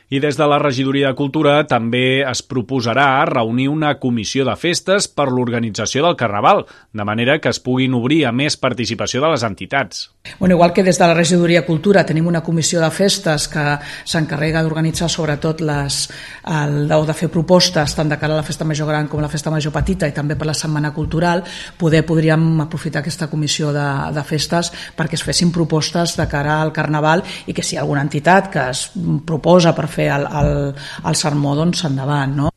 I des de la Regidoria de Cultura també es proposarà reunir una comissió de festes per l'organització del Carnaval, de manera que es puguin obrir a més participació de les entitats. Bueno, igual que des de la Regidoria de Cultura tenim una comissió de festes que s'encarrega d'organitzar sobretot de fer propostes tant de cara a la Festa Major Gran com a la Festa Major Petita i també per la Setmana Cultural, podríem aprofitar aquesta comissió de festes perquè es fessin propostes de cara al Carnaval i que si hi ha alguna entitat que es proposa per fer el sermó, doncs endavant, no?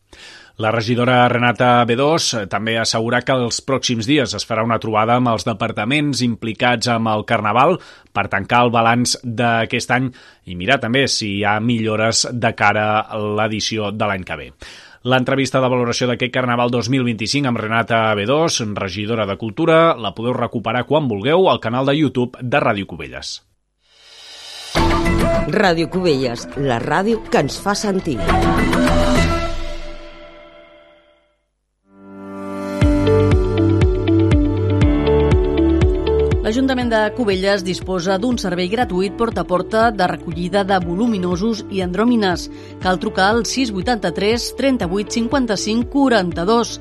La regidora Renata B2 també assegura que els pròxims dies es farà una trobada amb els departaments implicats amb el Carnaval per tancar el balanç d'aquest any i mirar també si hi ha millores de cara a l'edició de l'any que ve. L'entrevista de valoració d'aquest Carnaval 2025 amb Renata B2, regidora de Cultura, la podeu recuperar quan vulgueu al canal de YouTube de Ràdio Cubelles. Ràdio Cubelles, la ràdio que ens fa sentir. L'Ajuntament de Cubelles disposa d'un servei gratuït porta a porta de recollida de voluminosos i andròmines. Cal trucar al 683 38 55 42.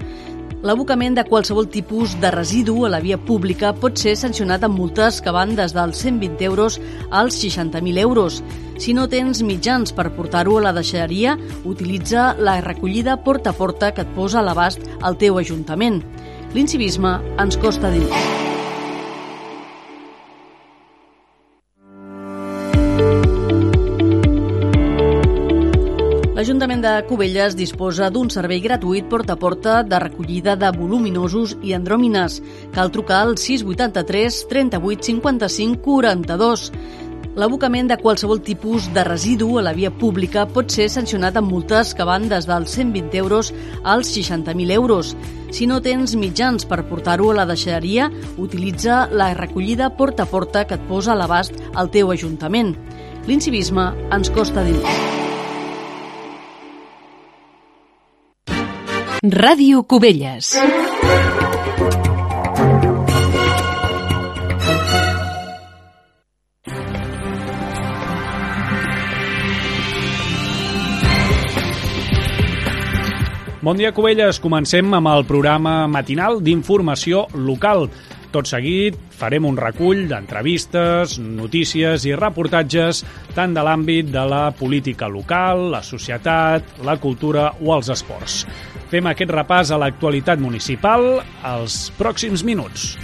L'abocament de qualsevol tipus de residu a la via pública pot ser sancionat amb multes que van des dels 120 euros als 60.000 euros. Si no tens mitjans per portar-ho a la deixalleria, utilitza la recollida porta a porta que et posa a l'abast al teu ajuntament. L'incivisme ens costa diners. L'Ajuntament de Cubelles disposa d'un servei gratuït porta a porta de recollida de voluminosos i andròmines. Cal trucar al 683 38 55 42. L'abocament de qualsevol tipus de residu a la via pública pot ser sancionat amb multes que van des dels 120 euros als 60.000 euros. Si no tens mitjans per portar-ho a la deixalleria, utilitza la recollida porta a porta que et posa a l'abast al teu ajuntament. L'incivisme ens costa diners. Ràdio Cubelles. Bon dia, Cubelles. Comencem amb el programa matinal d'informació local. Tot seguit farem un recull d'entrevistes, notícies i reportatges tant de l'àmbit de la política local, la societat, la cultura o els esports. Fem aquest repàs a l'actualitat municipal als pròxims minuts.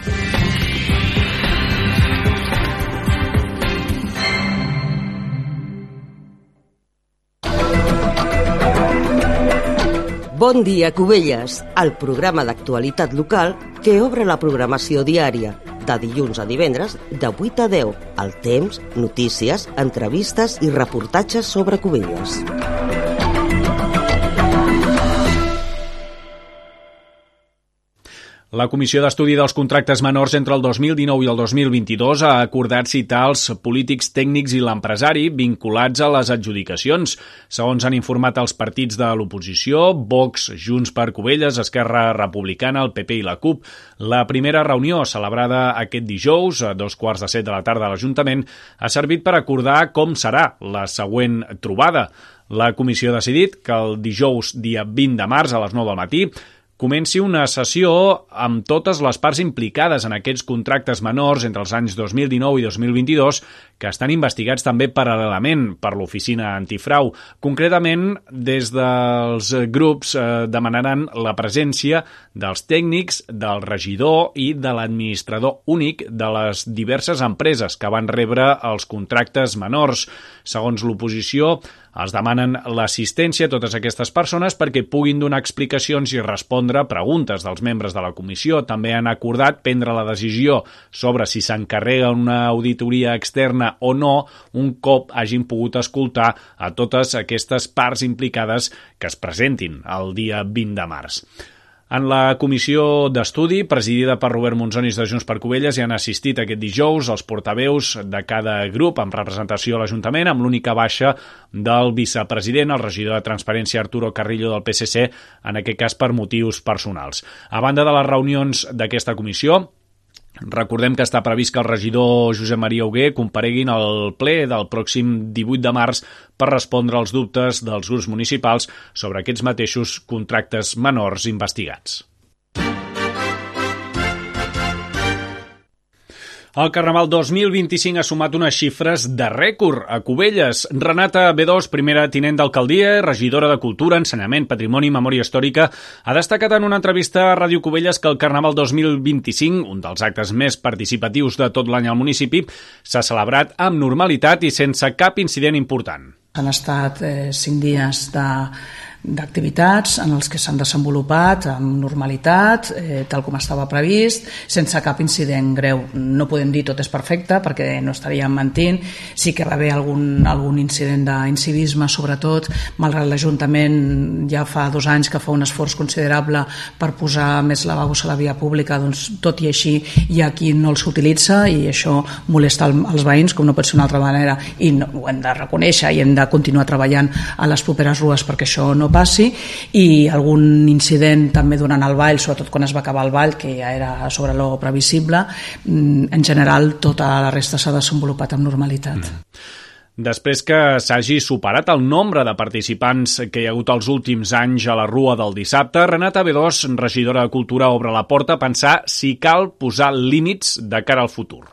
Bon dia, Cubelles, el programa d'actualitat local que obre la programació diària, de dilluns a divendres, de 8 a 10, al temps, notícies, entrevistes i reportatges sobre Cubelles. La Comissió d'Estudi dels Contractes Menors entre el 2019 i el 2022 ha acordat citar els polítics tècnics i l'empresari vinculats a les adjudicacions. Segons han informat els partits de l'oposició, Vox, Junts per Cubelles, Esquerra Republicana, el PP i la CUP, la primera reunió celebrada aquest dijous a 14:15 de la tarda a l'Ajuntament ha servit per acordar com serà la següent trobada. La comissió ha decidit que el dijous, dia 20 de març a les 9 del matí, comenci una sessió amb totes les parts implicades en aquests contractes menors entre els anys 2019 i 2022 que estan investigats també paral·lelament per l'Oficina Antifrau. Concretament, des dels grups demanaran la presència dels tècnics, del regidor i de l'administrador únic de les diverses empreses que van rebre els contractes menors. Segons l'oposició, els demanen l'assistència a totes aquestes persones perquè puguin donar explicacions i respondre a preguntes dels membres de la comissió. També han acordat prendre la decisió sobre si s'encarrega una auditoria externa o no un cop hagin pogut escoltar a totes aquestes parts implicades que es presentin el dia 20 de març. En la comissió d'estudi, presidida per Robert Monzonis de Junts per Cubelles, hi han assistit aquest dijous els portaveus de cada grup amb representació a l'Ajuntament, amb l'única baixa del vicepresident, el regidor de Transparència Arturo Carrillo del PSC, en aquest cas per motius personals. A banda de les reunions d'aquesta comissió, recordem que està previst que el regidor Josep Maria Hugué compareguin al ple del pròxim 18 de març per respondre als dubtes dels grups municipals sobre aquests mateixos contractes menors investigats. El Carnaval 2025 ha sumat unes xifres de rècord a Cubelles. Renata B2, primera tinent d'alcaldia, regidora de Cultura, Ensenyament, Patrimoni i Memòria Històrica, ha destacat en una entrevista a Ràdio Cubelles que el Carnaval 2025, un dels actes més participatius de tot l'any al municipi, s'ha celebrat amb normalitat i sense cap incident important. Han estat 5 dies d'activitats en els que s'han desenvolupat amb normalitat, tal com estava previst, sense cap incident greu. No podem dir tot és perfecte perquè no estaríem mentint. Sí que va haver algun incident d'incivisme, sobretot, malgrat l'Ajuntament ja fa 2 anys que fa un esforç considerable per posar més lavabos a la via pública, doncs tot i així hi ha qui no els utilitza i això molesta els veïns, com no pot ser una altra manera, i no, ho hem de reconèixer i hem de continuar treballant a les properes rues perquè això no passi. I algun incident també durant el ball, sobretot quan es va acabar el ball, que ja era sobre lo previsible. En general tota la resta s'ha desenvolupat amb normalitat. Després que s'hagi superat el nombre de participants que hi ha hagut els últims anys a la Rua del dissabte, Renata Bedós, regidora de Cultura, obre la porta a pensar si cal posar límits de cara al futur.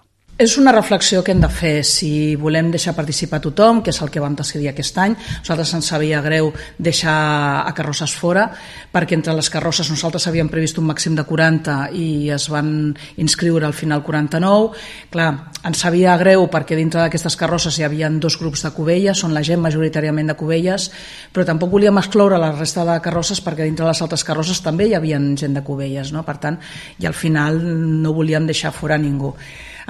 És una reflexió que hem de fer si volem deixar participar tothom, que és el que vam decidir aquest any. Nosaltres ens sabia greu deixar a carrosses fora, perquè entre les carrosses nosaltres havíem previst un màxim de 40 i es van inscriure al final 49. Clar, ens sabia greu perquè dintre d'aquestes carrosses hi havia 2 grups de Cubelles, són la gent majoritàriament de Cubelles, però tampoc volíem excloure la resta de carrosses perquè dintre les altres carrosses també hi havia gent de Cubelles, no? Per tant, i al final no volíem deixar fora ningú.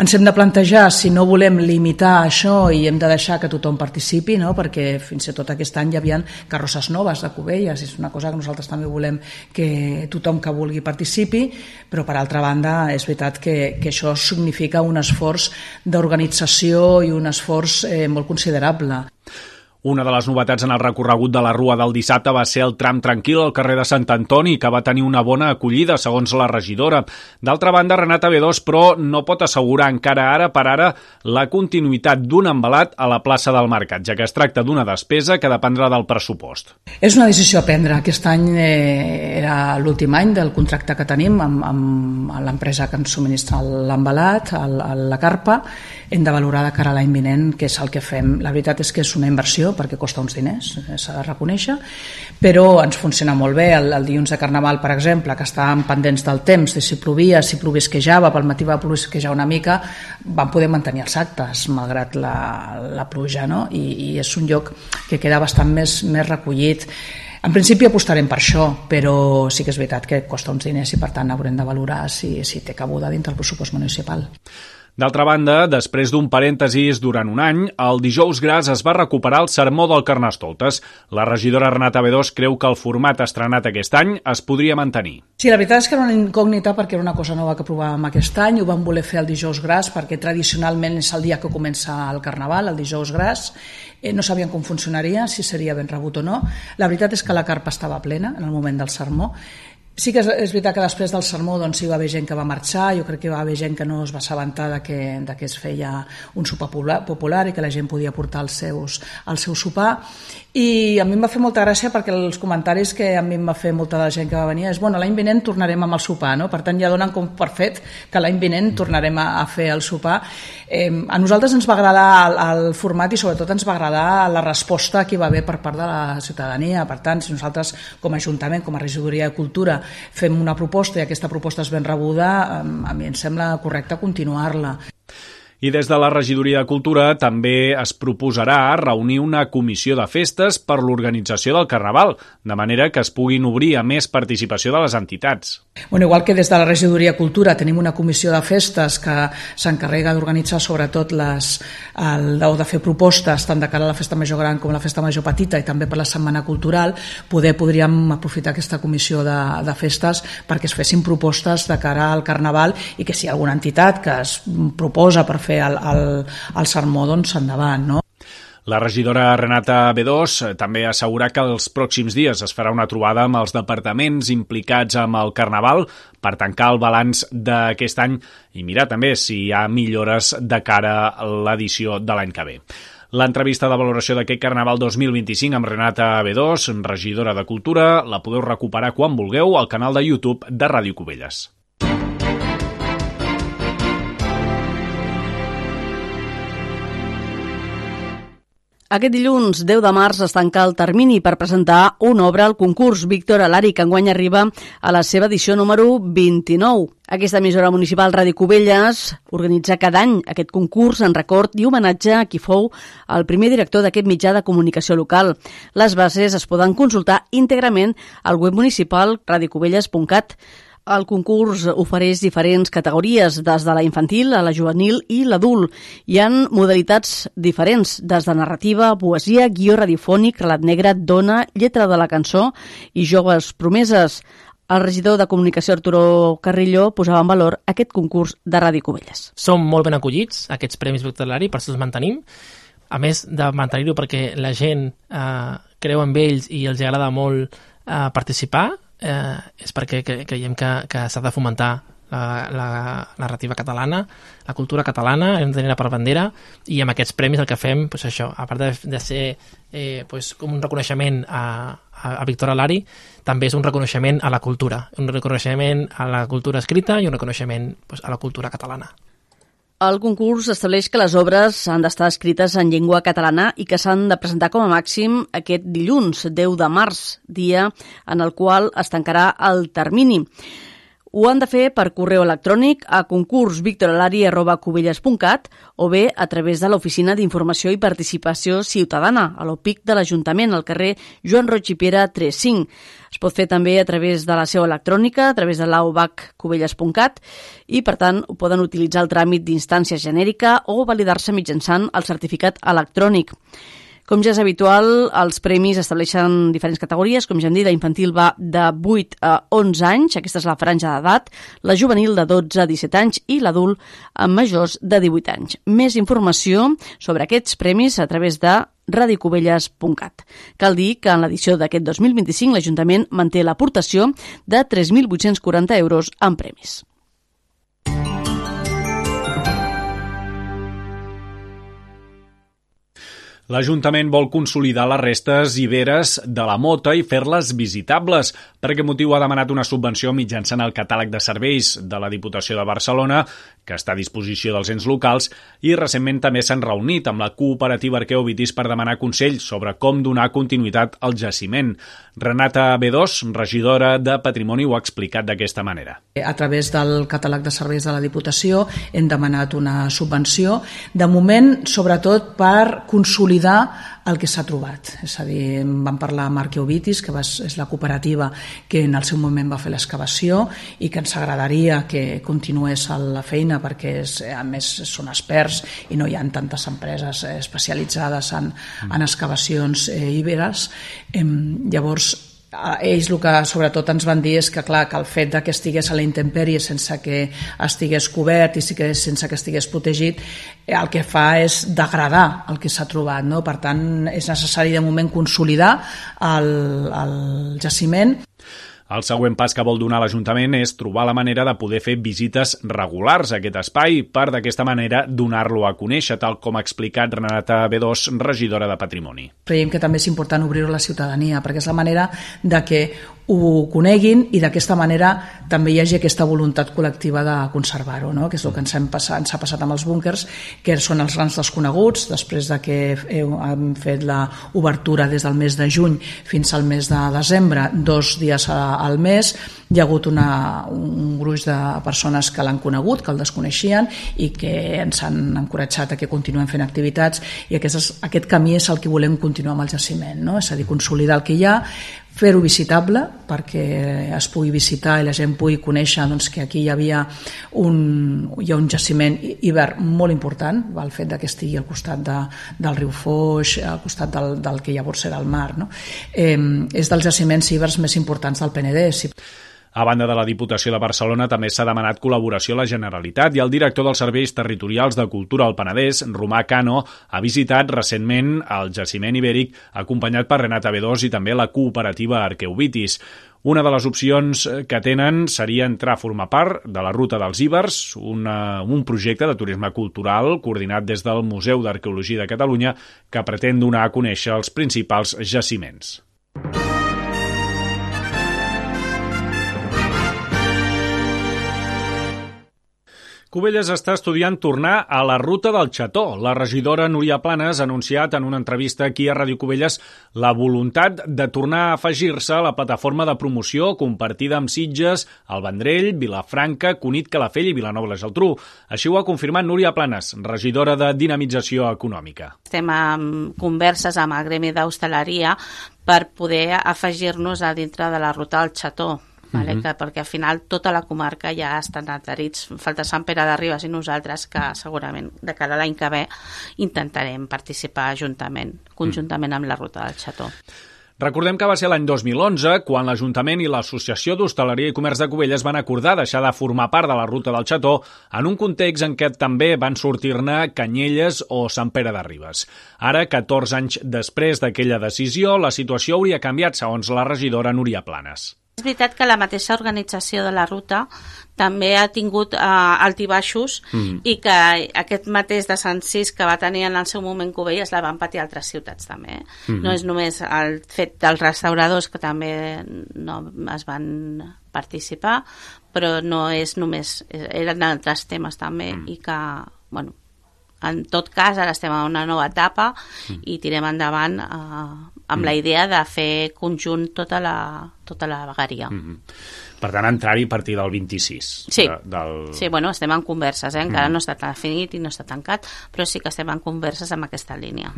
Ens hem de plantejar si no volem limitar això i hem de deixar que tothom participi, no? Perquè fins i tot aquest any hi havia carrosses noves de Cubelles, és una cosa que nosaltres també volem que tothom que vulgui participi, però per altra banda és veritat que això significa un esforç d'organització i un esforç molt considerable. Una de les novetats en el recorregut de la Rua del dissabte va ser el tram tranquil al carrer de Sant Antoni, que va tenir una bona acollida, segons la regidora. D'altra banda, Renata Bedós, però, no pot assegurar encara ara per ara la continuïtat d'un embalat a la plaça del Mercat, ja que es tracta d'una despesa que dependrà del pressupost. És una decisió a prendre. Aquest any era l'últim any del contracte que tenim amb l'empresa que ens subministra l'embalat, la carpa. Hem de valorar de cara a l'any vinent què és el que fem. La veritat és que és una inversió perquè costa uns diners, s'ha de reconèixer, però ens funciona molt bé. El dilluns de Carnaval, per exemple, que estàvem pendents del temps, de si plovia, si plovisquejava, pel matí va plovisquejar una mica, vam poder mantenir els actes, malgrat la pluja, no? I és un lloc que queda bastant més recollit. En principi apostarem per això, però sí que és veritat que costa uns diners i per tant haurem de valorar si té cabuda dintre el pressupost municipal. D'altra banda, després d'un parèntesis durant un any, el dijous gras es va recuperar el sermó del Carnestoltes. La regidora Renata Bedós creu que el format estrenat aquest any es podria mantenir. Sí, la veritat és que era una incògnita perquè era una cosa nova que provàvem aquest any. Ho vam voler fer el dijous gras perquè tradicionalment és el dia que comença el Carnaval, el dijous gras. No sabíem com funcionaria, si seria ben rebut o no. La veritat és que la carpa estava plena en el moment del sermó. Sí que és veritat que després del sermó doncs, hi va haver gent que va marxar, jo crec que hi va haver gent que no es va assabentar que es feia un sopar popular i que la gent podia portar el seu sopar. I a mi em va fer molta gràcia perquè els comentaris que a mi em va fer molta de la gent que va venir és bueno, l'any vinent tornarem amb el sopar, no? Per tant ja donen com per fet que l'any vinent tornarem a fer el sopar. A nosaltres ens va agradar el format i sobretot ens va agradar la resposta que hi va haver per part de la ciutadania. Per tant, si nosaltres com a Ajuntament, com a Regidoria de Cultura fem una proposta i aquesta proposta és ben rebuda, a mi em sembla correcte continuar-la. I des de la Regidoria de Cultura també es proposarà reunir una comissió de festes per l'organització del Carnaval, de manera que es puguin obrir a més participació de les entitats. Bueno, igual que des de la Regidoria de Cultura tenim una comissió de festes que s'encarrega d'organitzar sobretot o de fer propostes tant de cara a la Festa Major Gran com a la Festa Major Petita i també per la Setmana Cultural, podríem aprofitar aquesta comissió de festes perquè es fessin propostes de cara al Carnaval i que si hi ha alguna entitat que es proposa per fer el sermó, doncs endavant, no? La regidora Renata Bedós també assegura que els pròxims dies es farà una trobada amb els departaments implicats amb el Carnaval per tancar el balanç d'aquest any i mirar també si hi ha millores de cara a l'edició de l'any que ve. L'entrevista de valoració d'aquest Carnaval 2025 amb Renata Bedós, regidora de Cultura, la podeu recuperar quan vulgueu al canal de YouTube de Ràdio Cubelles. Aquest dilluns 10 de març es tanca el termini per presentar una obra al concurs Víctor Alari, que enguany arriba a la seva edició número 29. Aquesta emissora municipal Ràdio Cubelles organitza cada any aquest concurs en record i homenatge a qui fou el primer director d'aquest mitjà de comunicació local. Les bases es poden consultar íntegrament al web municipal radiocubelles.cat. El concurs ofereix diferents categories, des de la infantil a la juvenil i l'adult. Hi ha modalitats diferents, des de narrativa, poesia, guió radiofònic, relat negre, dona, lletra de la cançó i joves promeses. El regidor de Comunicació, Arturo Carrillo, posava en valor aquest concurs de Ràdio Cubelles. Som molt ben acollits, aquests Premis Víctor Alari, per això els mantenim. A més de mantenir-ho perquè la gent creu en ells i els agrada molt participar, és perquè creiem que s'ha de fomentar la narrativa catalana, la cultura catalana, hem de tenir-la per bandera, i amb aquests premis el que fem, doncs això, a part de ser com un reconeixement a Víctor Alari, també és un reconeixement a la cultura, un reconeixement a la cultura escrita i un reconeixement a la cultura catalana. El concurs estableix que les obres han d'estar escrites en llengua catalana i que s'han de presentar com a màxim aquest dilluns, 10 de març, dia en el qual es tancarà el termini. Ho han de fer per correu electrònic a concursvictoralari@cubelles.cat o bé a través de l'Oficina d'Informació i Participació Ciutadana, a l'OPIC de l'Ajuntament, al carrer Joan Roig i Piera 35. Es pot fer també a través de la seu electrònica, a través de l'aubaccubelles.cat i, per tant, ho poden utilitzar el tràmit d'instància genèrica o validar-se mitjançant el certificat electrònic. Com ja és habitual, els premis estableixen diferents categories. Com ja hem dit, la infantil va de 8 a 11 anys, aquesta és la franja d'edat, la juvenil de 12 a 17 anys i l'adult amb majors de 18 anys. Més informació sobre aquests premis a través de radiocubelles.cat. Cal dir que en l'edició d'aquest 2025 l'Ajuntament manté l'aportació de 3.840 euros en premis. L'Ajuntament vol consolidar les restes iberes de la Mota i fer-les visitables. Per aquest motiu ha demanat una subvenció mitjançant el catàleg de serveis de la Diputació de Barcelona, que està a disposició dels ens locals, i recentment també s'han reunit amb la cooperativa Arqueovitis per demanar consells sobre com donar continuïtat al jaciment. Renata B2, regidora de Patrimoni, ho ha explicat d'aquesta manera. A través del catàleg de serveis de la Diputació hem demanat una subvenció, de moment sobretot per consolidar el que s'ha trobat. És a dir, vam parlar amb Arqueovitis, que és la cooperativa que en el seu moment va fer l'excavació i que ens agradaria que continués la feina perquè a més són experts i no hi ha tantes empreses especialitzades en excavacions iberes. Llavors, ells el que sobretot ens van dir és que, clar, que el fet que estigués a la intempèrie sense que estigués cobert i sense que estigués protegit, el que fa és degradar el que s'ha trobat, no? Per tant, és necessari de moment consolidar el jaciment. El següent pas que vol donar l'Ajuntament és trobar la manera de poder fer visites regulars a aquest espai per d'aquesta manera donar-lo a conèixer, tal com ha explicat Renata B2, regidora de Patrimoni. Creiem que també és important obrir-ho a la ciutadania perquè és la manera de que ho coneguin i d'aquesta manera també hi hagi aquesta voluntat col·lectiva de conservar-ho, no? Que és el que ens ha passat amb els búnquers, que són els grans desconeguts. Després de que hem fet l'obertura des del mes de juny fins al mes de desembre, 2 dies al mes, hi ha hagut un gruix de persones que l'han conegut, que el desconeixien i que ens han encoratjat a que continuem fent activitats, i aquest camí és el que volem continuar amb el jaciment, no? És a dir, consolidar el que hi ha, fer-ho visitable perquè es pugui visitar i la gent pugui conèixer que aquí hi ha un jaciment hivern molt important, el fet que estigui al costat del riu Foix, al costat del que llavors era el mar, no? És dels jaciments hiverns més importants del Penedès. A banda de la Diputació de Barcelona, també s'ha demanat col·laboració a la Generalitat i el director dels Serveis Territorials de Cultura al Penedès, Romà Cano, ha visitat recentment el jaciment ibèric acompanyat per Renata B2 i també la cooperativa Arqueovitis. Una de les opcions que tenen seria entrar a formar part de la Ruta dels Ibers, un projecte de turisme cultural coordinat des del Museu d'Arqueologia de Catalunya que pretén donar a conèixer els principals jaciments. Cubelles està estudiant tornar a la ruta del Xató. La regidora Núria Planas ha anunciat en una entrevista aquí a Ràdio Cubelles la voluntat de tornar a afegir-se a la plataforma de promoció compartida amb Sitges, el Vendrell, Vilafranca, Cunit, Calafell i Vilanova i la Geltrú. Així ho ha confirmat Núria Planas, regidora de Dinamització Econòmica. Estem en converses amb el gremi d'hostaleria per poder afegir-nos a dintre de la ruta del Xató. Vale? Perquè al final tota la comarca ja estan adherits. Falta Sant Pere de Ribes i nosaltres, que segurament de cara a l'any que ve intentarem participar conjuntament amb la ruta del Xató. Recordem que va ser l'any 2011 quan l'Ajuntament i l'Associació d'Hostaleria i Comerç de Cubelles van acordar deixar de formar part de la ruta del Xató en un context en què també van sortir-ne Canyelles o Sant Pere de Ribes. Ara, 14 anys després d'aquella decisió, la situació hauria canviat, segons la regidora Núria Planas. És veritat que la mateixa organització de la ruta també ha tingut altibaixos i que aquest mateix desencís que va tenir en el seu moment Cubelles la van patir altres ciutats també. No és només el fet dels restauradors, que també no es van participar, però no és només, eren altres temes també i que, bueno, en tot cas ara estem en una nova etapa i tirem endavant amb la idea de fer conjunt tota la vegueria. Per tant, entrar-hi a partir del 26. Sí, bueno, estem en converses, encara no està definit i no està tancat, però sí que estem en converses amb aquesta línia.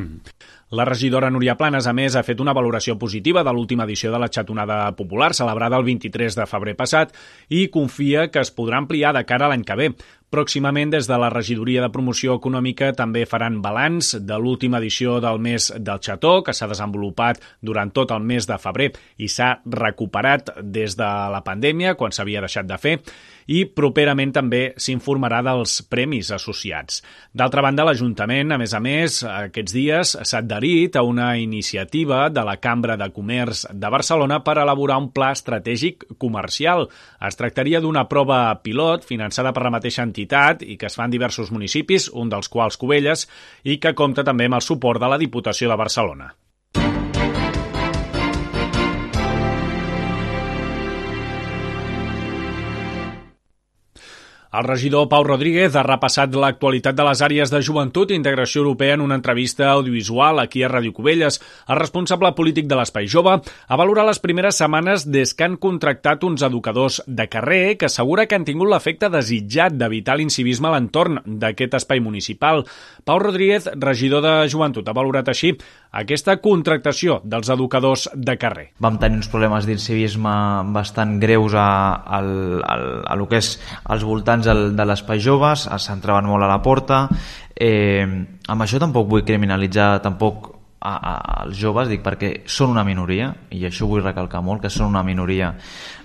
La regidora Núria Planas, a més, ha fet una valoració positiva de l'última edició de la Xatonada Popular, celebrada el 23 de febrer passat, i confia que es podrà ampliar de cara a l'any que ve. Pròximament, des de la Regidoria de Promoció Econòmica, també faran balanç de l'última edició del mes del Xató, que s'ha desenvolupat durant tot el mes de febrer i s'ha recuperat des de la pandèmia, quan s'havia deixat de fer, i properament també s'informarà dels premis associats. D'altra banda, l'Ajuntament, a més, aquests dies s'ha adherit a una iniciativa de la Cambra de Comerç de Barcelona per elaborar un pla estratègic comercial. Es tractaria d'una prova pilot finançada per la mateixa entitat i que es fa en diversos municipis, un dels quals Cubelles, i que compta també amb el suport de la Diputació de Barcelona. El regidor Pau Rodríguez ha repassat l'actualitat de les àrees de joventut i integració europea en una entrevista audiovisual aquí a Ràdio Cubelles. El responsable polític de l'Espai Jove ha valorat les primeres setmanes des que han contractat uns educadors de carrer que assegura que han tingut l'efecte desitjat d'evitar l'incivisme a l'entorn d'aquest espai municipal. Pau Rodríguez, regidor de joventut, ha valorat així aquesta contractació dels educadors de carrer. Vam tenir uns problemes d'incivisme bastant greus a lo que és als voltants de l'espai joves, s'entraven molt a la porta. Amb això tampoc vull criminalitzar tampoc als joves, dic perquè són una minoria, i això vull recalcar molt, que són una minoria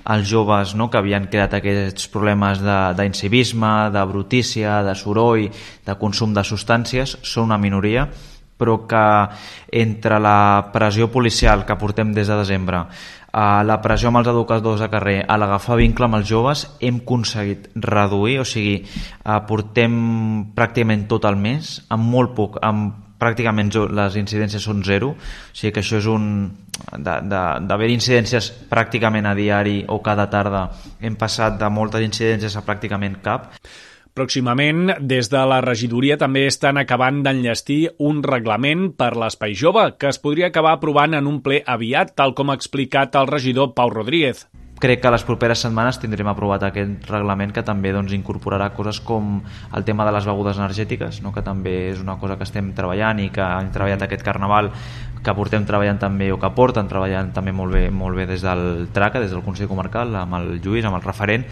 els joves, no?, que havien creat aquests problemes d'incivisme, de brutícia, de soroll, de consum de substàncies, són una minoria, però que entre la pressió policial que portem des de desembre, la pressió amb els educadors de carrer, a l'agafar vincle amb els joves, hem aconseguit reduir, o sigui, portem pràcticament tot el mes, amb molt poc, pràcticament les incidències són zero, o sigui que això és d'haver incidències pràcticament a diari o cada tarda, hem passat de moltes incidències a pràcticament cap. Pròximament, des de la regidoria també estan acabant d'enllestir un reglament per l'Espai Jove que es podria acabar aprovant en un ple aviat, tal com ha explicat el regidor Pau Rodríguez. Crec que les properes setmanes tindrem aprovat aquest reglament que també incorporarà coses com el tema de les begudes energètiques, no?, que també és una cosa que estem treballant i que hem treballat aquest Carnaval, que portem treballant també, o que porten treballant també molt bé des del TRACA, des del Consell Comarcal, amb el Lluís, amb el referent.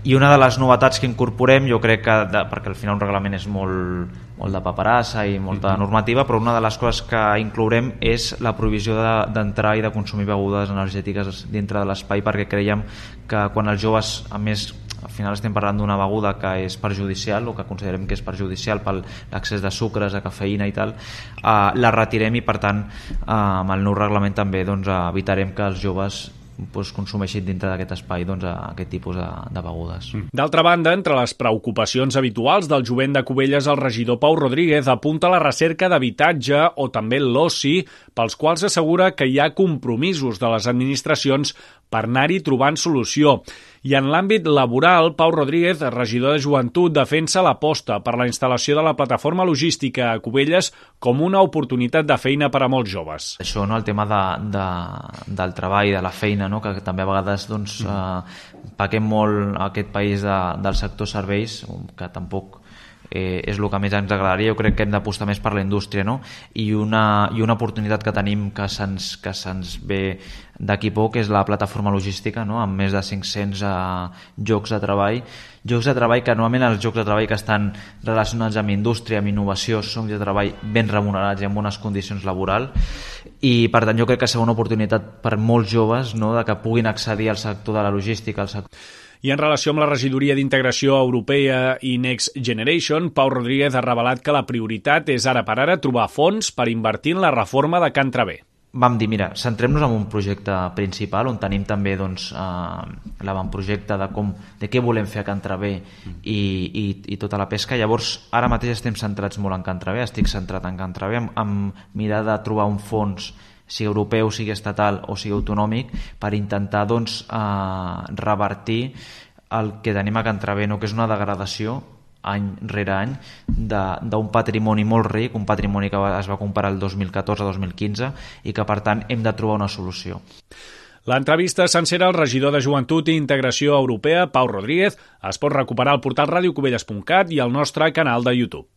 I una de les novetats que incorporem, jo crec que, perquè al final un reglament és molt de paperassa i molta normativa, però una de les coses que inclourem és la prohibició d'entrar i de consumir begudes energètiques dintre de l'espai, perquè creiem que quan els joves, a més, al final estem parlant d'una beguda que és perjudicial, o que considerem que és perjudicial per l'accés de sucres, de cafeïna i tal, la retirem i, per tant, amb el nou reglament també evitarem que els joves consumeixin dintre d'aquest espai aquest tipus de begudes. D'altra banda, entre les preocupacions habituals del jovent de Cubelles, el regidor Pau Rodríguez apunta la recerca d'habitatge o també l'oci, pels quals assegura que hi ha compromisos de les administracions per anar-hi trobant solució. I en l'àmbit laboral, Pau Rodríguez, regidor de Joventut, defensa l'aposta per la instal·lació de la plataforma logística a Cubelles com una oportunitat de feina per a molts joves. Això, no? El tema del treball, de la feina, no? Que també a vegades pequem molt aquest país del sector serveis, que tampoc és el que més ens agradaria. Jo crec que hem d'apostar més per la indústria, no? I una oportunitat que tenim que se'ns ve d'aquí poc és la plataforma logística, no? Amb més de 500 llocs de treball que normalment els llocs de treball que estan relacionats amb indústria, amb innovació, són llocs de treball ben remunerats i amb bones condicions laborals, i per tant jo crec que serà una oportunitat per molts joves, no? De que puguin accedir al sector de la logística, al sector. I en relació amb la regidoria d'Integració Europea i Next Generation, Pau Rodríguez ha revelat que la prioritat és ara per ara trobar fons per invertir en la reforma de Can Traver. Vam dir, mira, centrem-nos en un projecte principal on tenim també l'avantprojecte de què volem fer a Can Traver i tota la pesca. Llavors, ara mateix estem centrats molt en Can Traver, estic centrat en Can Traver, amb mirar de trobar un fons, sigui europeu, sigui estatal o sigui autonòmic, per intentar revertir el que tenim a Can Traver, no? Que és una degradació any rere any d'un patrimoni molt ric, un patrimoni que es va comparar el 2014-2015 i que per tant hem de trobar una solució. L'entrevista sencera al regidor de Joventut i Integració Europea, Pau Rodríguez, es pot recuperar al portal radiocubelles.cat i al nostre canal de YouTube.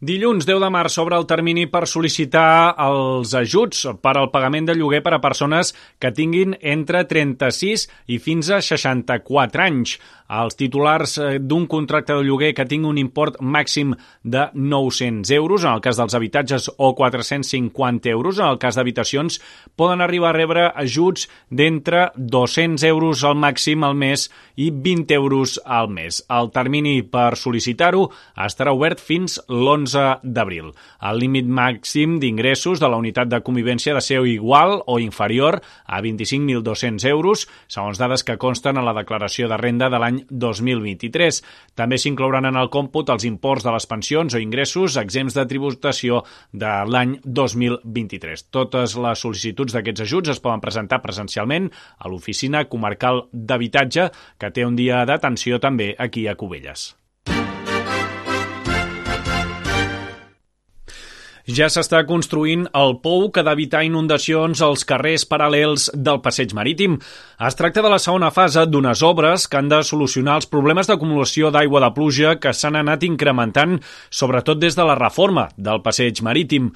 Dilluns 10 de març s'obre el termini per sol·licitar els ajuts per al pagament de lloguer per a persones que tinguin entre 36 i fins a 64 anys. Els titulars d'un contracte de lloguer que tingui un import màxim de 900 euros, en el cas dels habitatges, o 450 euros, en el cas d'habitacions, poden arribar a rebre ajuts d'entre 200 euros al màxim al mes i 20 euros al mes. El termini per sol·licitar-ho estarà obert fins l'11 d'abril. El límit màxim d'ingressos de la unitat de convivència ha de ser igual o inferior a 25.200 euros, segons dades que consten a la declaració de renda de l'any 2023. També s'inclouran en el còmput els imports de les pensions o ingressos exempts de tributació de l'any 2023. Totes les sol·licituds d'aquests ajuts es poden presentar presencialment a l'Oficina Comarcal d'Habitatge, que té un dia d'atenció també aquí a Cubelles. Ja s'està construint el pou que ha d'evitar inundacions als carrers paral·lels del passeig marítim. Es tracta de la segona fase d'unes obres que han de solucionar els problemes d'acumulació d'aigua de pluja que s'han anat incrementant, sobretot des de la reforma del passeig marítim.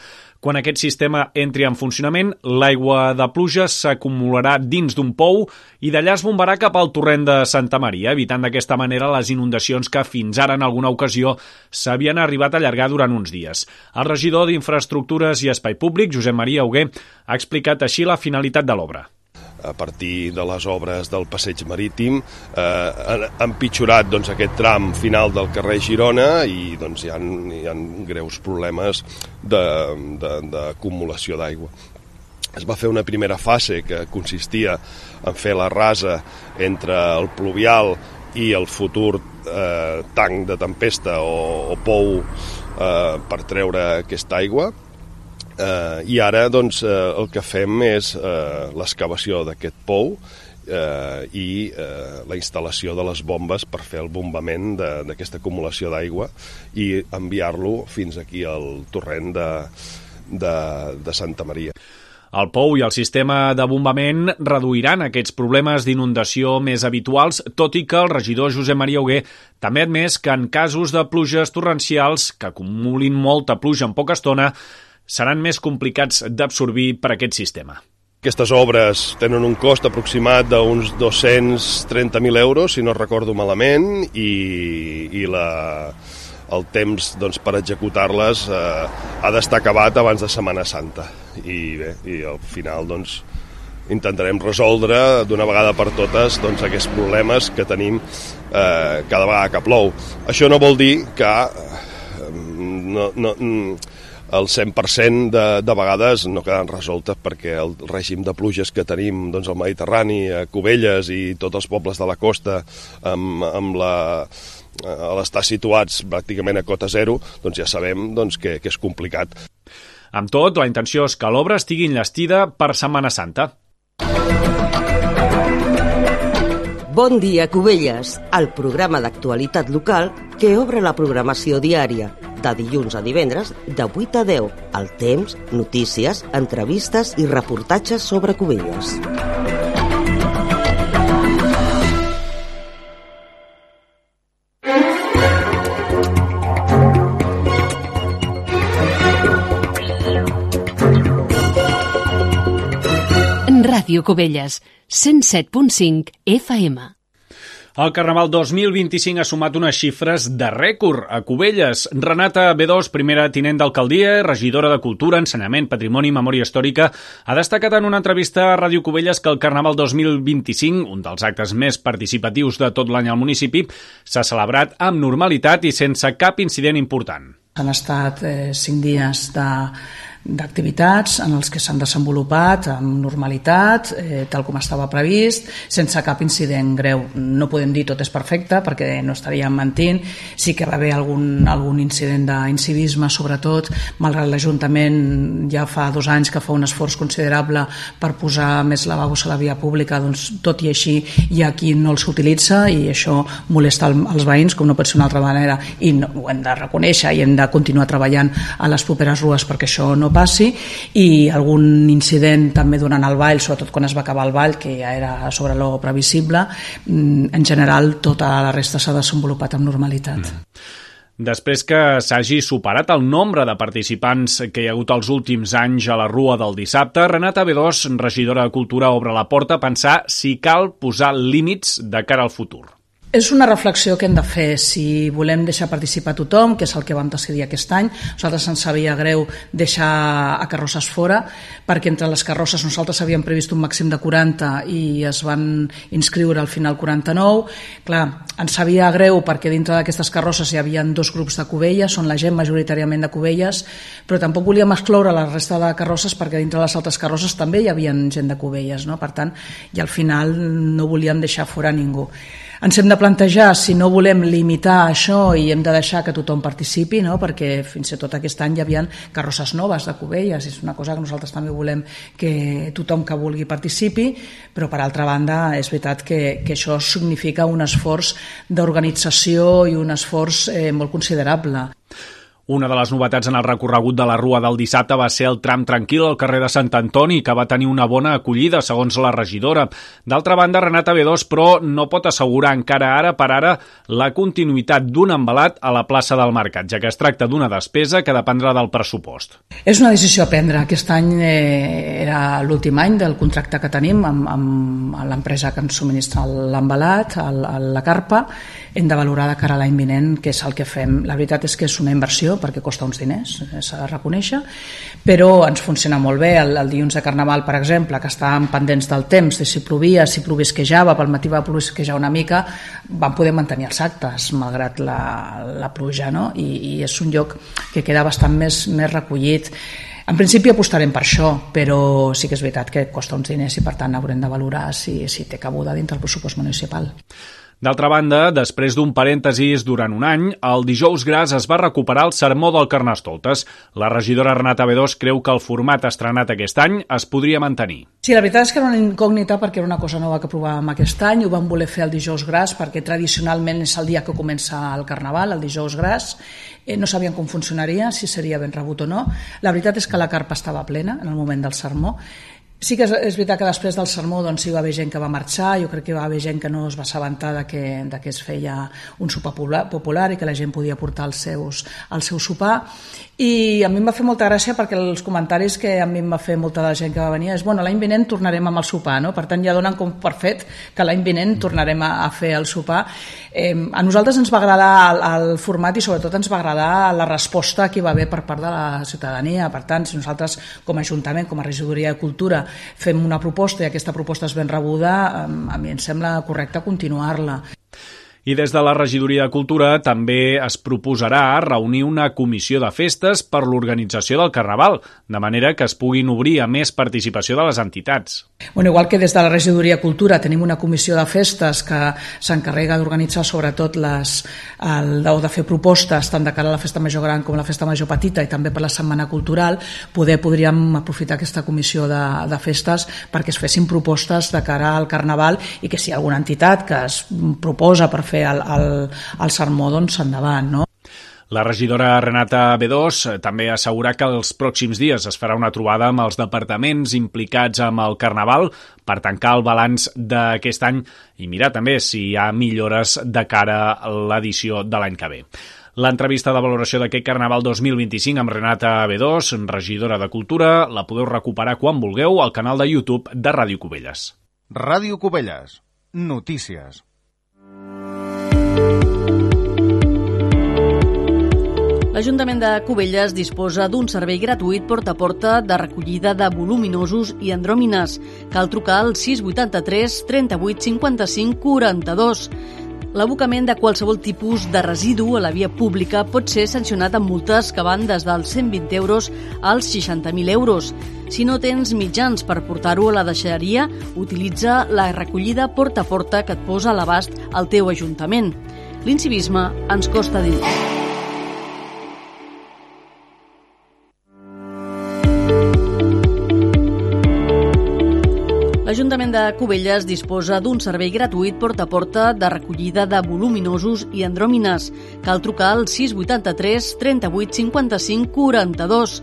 Quan aquest sistema entri en funcionament, l'aigua de pluja s'acumularà dins d'un pou i d'allà es bombarà cap al torrent de Santa Maria, evitant d'aquesta manera les inundacions que fins ara en alguna ocasió s'havien arribat a allargar durant uns dies. El regidor d'Infraestructures i Espai Públic, Josep Maria Hugué, ha explicat així la finalitat de l'obra. A partir de les obres del passeig marítim han empitjorat aquest tram final del carrer Girona i hi ha greus problemes d'acumulació d'aigua. Es va fer una primera fase que consistia en fer la rasa entre el pluvial i el futur tanc de tempesta o pou per treure aquesta aigua. I ara el que fem és l'excavació d'aquest pou i la instal·lació de les bombes per fer el bombament d'aquesta acumulació d'aigua i enviar-lo fins aquí al torrent de Santa Maria. El pou i el sistema de bombament reduiran aquests problemes d'inundació més habituals, tot i que el regidor Josep Maria Hugué també ha admès que en casos de pluges torrencials que acumulin molta pluja en poca estona seran més complicats d'absorbir per aquest sistema. Aquestes obres tenen un cost aproximat d'uns 230.000 euros, si no recordo malament, i el temps per executar-les ha d'estar acabat abans de Setmana Santa. I al final intentarem resoldre d'una vegada per totes aquests problemes que tenim cada vegada que plou. Això no vol dir que el 100% de vegades no queden resoltes perquè el règim de pluges que tenim al Mediterrani, a Cubelles i tots els pobles de la costa a l'estar situats pràcticament a cota zero, ja sabem que és complicat. Amb tot, la intenció és que l'obra estigui enllestida per Setmana Santa. Bon dia, Cubelles, el programa d'actualitat local que obre la programació diària, de dilluns a divendres, de 8 a 10, al temps, notícies, entrevistes i reportatges sobre Cubelles. Ràdio Cubelles, 107.5 FM. El Carnaval 2025 ha sumat unes xifres de rècord a Cubelles. Renata B2, primera tinent d'alcaldia, regidora de Cultura, Ensenyament, Patrimoni i Memòria Històrica, ha destacat en una entrevista a Ràdio Cubelles que el Carnaval 2025, un dels actes més participatius de tot l'any al municipi, s'ha celebrat amb normalitat i sense cap incident important. Han estat 5 dies d'activitats en els que s'han desenvolupat amb normalitat, tal com estava previst, sense cap incident greu. No podem dir tot és perfecte perquè no estaríem mentint. Sí que va haver algun incident d'incivisme, sobretot, malgrat l'Ajuntament ja fa 2 anys que fa un esforç considerable per posar més lavabos a la via pública, doncs tot i així hi ha qui no els utilitza i això molesta els veïns, com no pot ser d'una altra manera, i ho hem de reconèixer i hem de continuar treballant a les properes rues perquè això no passi, i algun incident també durant el ball, sobretot quan es va acabar el ball, que ja era sobre lo previsible. En general tota la resta s'ha desenvolupat amb normalitat. Després que s'hagi superat el nombre de participants que hi ha hagut els últims anys a la Rua del dissabte, Renata B2, regidora de Cultura, obre la porta a pensar si cal posar límits de cara al futur. És una reflexió que hem de fer si volem deixar participar tothom, que és el que vam decidir aquest any. Nosaltres ens sabia greu deixar a carrosses fora, perquè entre les carrosses nosaltres havíem previst un màxim de 40 i es van inscriure al final 49. Clar, ens sabia greu perquè dintre d'aquestes carrosses hi havia 2 grups de Cubelles, on la gent majoritàriament de Cubelles, però tampoc volíem excloure la resta de carrosses perquè dintre les altres carrosses també hi havia gent de Cubelles, no? Per tant, i al final no volíem deixar fora ningú. Ens hem de plantejar si no volem limitar això i hem de deixar que tothom participi, no? Perquè fins i tot aquest any hi havia carrosses noves de Cubelles, és una cosa que nosaltres també volem que tothom que vulgui participi, però per altra banda és veritat que això significa un esforç d'organització i un esforç molt considerable. Una de les novetats en el recorregut de la Rua del dissabte va ser el tram tranquil al carrer de Sant Antoni, que va tenir una bona acollida, segons la regidora. D'altra banda, Renata B2, però, no pot assegurar encara ara per ara la continuïtat d'un embalat a la plaça del Mercat, ja que es tracta d'una despesa que dependrà del pressupost. És una decisió a prendre. Aquest any era l'últim any del contracte que tenim amb l'empresa que ens subministra l'embalat, la carpa. Hem de valorar de cara a l'any vinent què és el que fem. La veritat és que és una inversió perquè costa uns diners, s'ha de reconèixer, però ens funciona molt bé. El dilluns de Carnaval, per exemple, que estàvem pendents del temps, de si plovia, si plovisquejava, pel matí va plovisquejar una mica, vam poder mantenir els actes, malgrat la pluja, no? I és un lloc que queda bastant més recollit. En principi apostarem per això, però sí que és veritat que costa uns diners i per tant haurem de valorar si té cabuda dintre el pressupost municipal. D'altra banda, després d'un parèntesis durant un any, el dijous gras es va recuperar el sermó del Carnestoltes. La regidora Renata B2 creu que el format estrenat aquest any es podria mantenir. Sí, la veritat és que era una incògnita perquè era una cosa nova que provàvem aquest any. Ho vam voler fer el dijous gras perquè tradicionalment és el dia que comença el Carnaval, el dijous gras. No sabíem com funcionaria, si seria ben rebut o no. La veritat és que la carpa estava plena en el moment del sermó. Sí que és veritat que després del sermó doncs, hi va haver gent que va marxar, jo crec que va haver gent que no es va assabentar que es feia un sopar popular i que la gent podia portar el seu sopar, i a mi em va fer molta gràcia perquè els comentaris que a mi em va fer molta de la gent que va venir és l'any vinent tornarem amb el sopar, no? Per tant ja donen com per fet que l'any vinent tornarem a fer el sopar. A nosaltres ens va agradar el format i sobretot ens va agradar la resposta que hi va haver per part de la ciutadania. Per tant, si nosaltres com a Ajuntament, com a Regidoria de Cultura fem una proposta i aquesta proposta és ben rebuda, a mi em sembla correcte continuar-la. I des de la Regidoria de Cultura també es proposarà reunir una comissió de festes per l'organització del Carnaval, de manera que es puguin obrir a més participació de les entitats. Bueno, igual que des de la Regidoria de Cultura tenim una comissió de festes que s'encarrega d'organitzar sobretot o de fer propostes tant de cara a la Festa Major Gran com a la Festa Major Petita i també per la Setmana Cultural, podríem aprofitar aquesta comissió de festes perquè es fessin propostes de cara al Carnaval i que si hi ha alguna entitat que es proposa per fer el sermó, doncs endavant, no? La regidora Renata B2 també assegura que els pròxims dies es farà una trobada amb els departaments implicats amb el Carnaval per tancar el balanç d'aquest any i mirar també si hi ha millores de cara a l'edició de l'any que ve. L'entrevista de valoració d'aquest Carnaval 2025 amb Renata B2, regidora de Cultura, la podeu recuperar quan vulgueu al canal de YouTube de Ràdio Cubelles. Ràdio Cubelles. Notícies. L'Ajuntament de Cubelles disposa d'un servei gratuït porta a porta de recollida de voluminosos i andròmines. Cal trucar al 683 38 55 42. L'abocament de qualsevol tipus de residu a la via pública pot ser sancionat amb multes que van des dels 120 euros als 60.000 euros. Si no tens mitjans per portar-ho a la deixalleria, utilitza la recollida porta a porta que et posa a l'abast al teu ajuntament. L'incivisme ens costa dir. L'Ajuntament de Cubelles disposa d'un servei gratuït porta a porta de recollida de voluminosos i andròmines. Cal trucar al 683 38 55 42.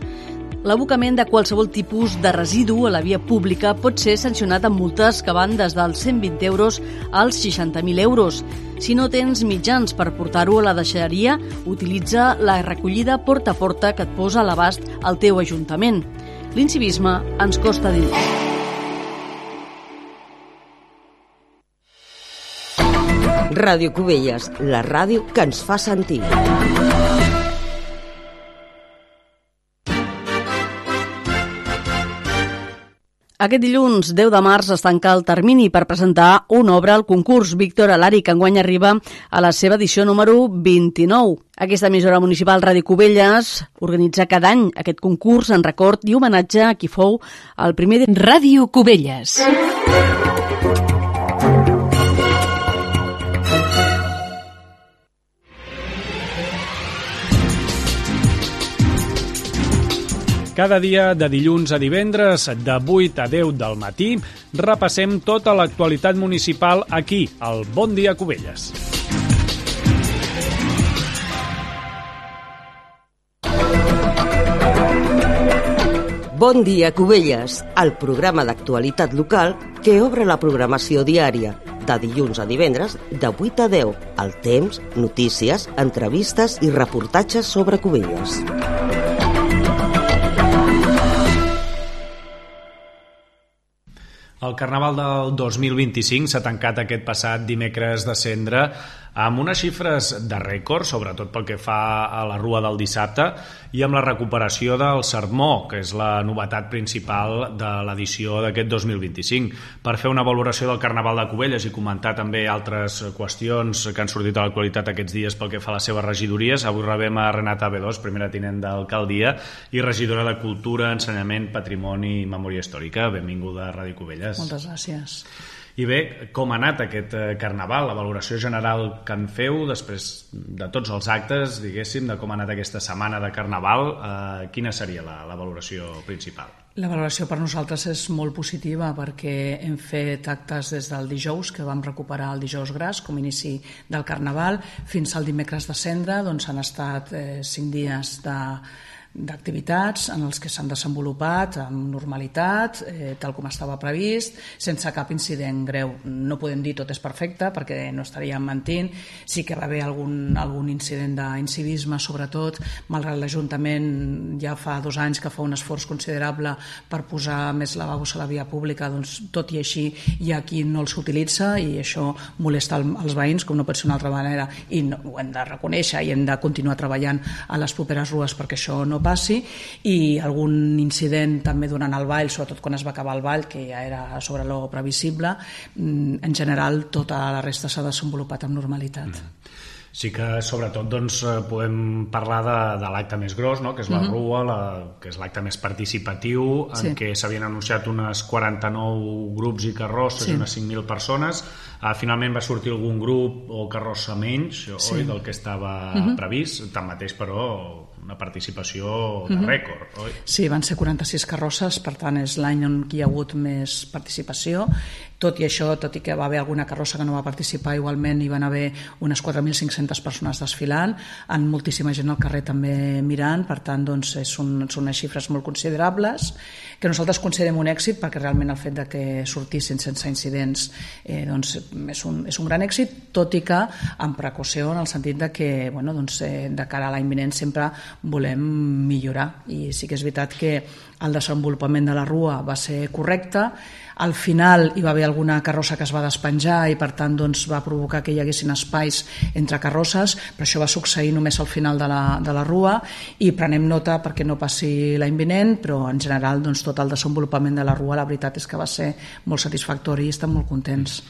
L'abocament de qualsevol tipus de residu a la via pública pot ser sancionat amb multes que van des dels 120 euros als 60.000 euros. Si no tens mitjans per portar-ho a la deixalleria, utilitza la recollida porta a porta que et posa a l'abast al teu ajuntament. L'incivisme ens costa dir. Ràdio Cubelles, la ràdio que ens fa sentir. Aquest dilluns, 10 de març, es tanca el termini per presentar una obra al concurs Víctor Alari, que enguany arriba a la seva edició número 29. Aquesta emissora municipal Ràdio Cubelles organitza cada any aquest concurs en record i homenatge a qui fou el primer... Ràdio Cubelles. Cada dia, de dilluns a divendres, de 8 a 10 del matí, repassem tota l'actualitat municipal aquí, al Bon Dia Cubelles. Bon dia, Cubelles, el programa d'actualitat local que obre la programació diària, de dilluns a divendres, de 8 a 10, el temps, notícies, entrevistes i reportatges sobre Cubelles. El Carnaval del 2025 s'ha tancat aquest passat dimecres de Cendra amb unes xifres de rècord, sobretot pel que fa a la rua del dissabte, i amb la recuperació del sermó, que és la novetat principal de l'edició d'aquest 2025. Per fer una valoració del Carnaval de Cubelles i comentar també altres qüestions que han sortit a l'actualitat aquests dies pel que fa a les seves regidories, avui rebem a Renata B2, primera tinent d'alcaldia i regidora de Cultura, Ensenyament, Patrimoni i Memòria Històrica. Benvinguda a Ràdio Cubelles. Moltes gràcies. I bé, com ha anat aquest Carnaval, la valoració general que en feu després de tots els actes, diguéssim, de com ha anat aquesta setmana de Carnaval, quina seria la valoració principal? La valoració per nosaltres és molt positiva perquè hem fet actes des del dijous, que vam recuperar el dijous gras com a inici del Carnaval, fins al dimecres de Cendra, doncs han estat 5 dies d'activitats en els que s'han desenvolupat amb normalitat, tal com estava previst, sense cap incident greu. No podem dir tot és perfecte perquè no estaríem mentint. Sí que va haver algun incident d'incivisme, sobretot, malgrat l'Ajuntament ja fa 2 anys que fa un esforç considerable per posar més lavabos a la via pública, doncs tot i així hi ha qui no els utilitza i això molesta els veïns, com no pot ser d'una altra manera, i ho hem de reconèixer i hem de continuar treballant a les properes rues perquè això no passi, i algun incident també durant el ball, sobretot quan es va acabar el ball, que ja era sobre lo previsible. En general tota la resta s'ha desenvolupat amb normalitat. Sí que, sobretot, doncs, podem parlar de l'acte més gros, no? Que és la rua, que és l'acte més participatiu, en què s'havien anunciat unes 49 grups i carrosses i unes 5.000 persones. Finalment va sortir algun grup o carrossa menys, oi, del que estava previst. Tanmateix, però, una participació de rècord, oi? Sí, van ser 46 carrosses, per tant és l'any on hi ha hagut més participació. Tot i això, tot i que va haver alguna carrossa que no va participar, igualment hi van haver unes 4.500 persones desfilant, amb moltíssima gent al carrer també mirant, per tant doncs, són unes xifres molt considerables, que nosaltres considerem un èxit, perquè realment el fet de que sortissin sense incidents doncs, és un gran èxit, tot i que amb precaució, en el sentit de que de cara a l'any vinent sempre volem millorar, i sí que és veritat que el desenvolupament de la rua va ser correcte. Al final hi va haver alguna carrossa que es va despenjar i per tant doncs, va provocar que hi haguessin espais entre carrosses, però això va succeir només al final de la rua, i prenem nota perquè no passi l'any vinent, però en general doncs, tot el desenvolupament de la rua la veritat és que va ser molt satisfactori i estem molt contents.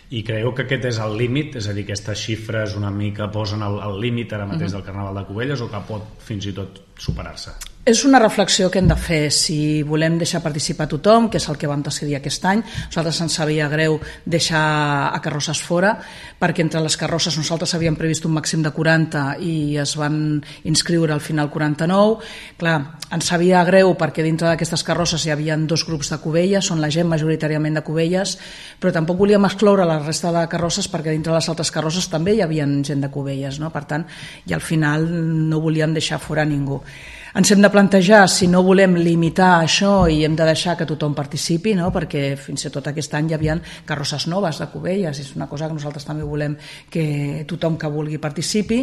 I creieu que aquest és el límit? És a dir, aquestes xifres una mica posen el límit ara mateix del Carnaval de Cubelles, o que pot fins i tot superar-se? És una reflexió que hem de fer. Si volem deixar participar tothom, que és el que vam decidir aquest any, nosaltres ens sabia greu deixar a carrosses fora, perquè entre les carrosses nosaltres havíem previst un màxim de 40 i es van inscriure al final 49. Clar, ens sabia greu perquè dintre d'aquestes carrosses hi havia 2 grups de Cubelles, són la gent majoritàriament de Cubelles, però tampoc volíem excloure la resta de carrosses perquè dintre les altres carrosses també hi havia gent de Cubelles, no? Per tant, i al final no volíem deixar fora ningú. Ens hem de plantejar si no volem limitar això i hem de deixar que tothom participi, no? Perquè fins i tot aquest any hi havia carrosses noves de Cubelles, és una cosa que nosaltres també volem que tothom que vulgui participi,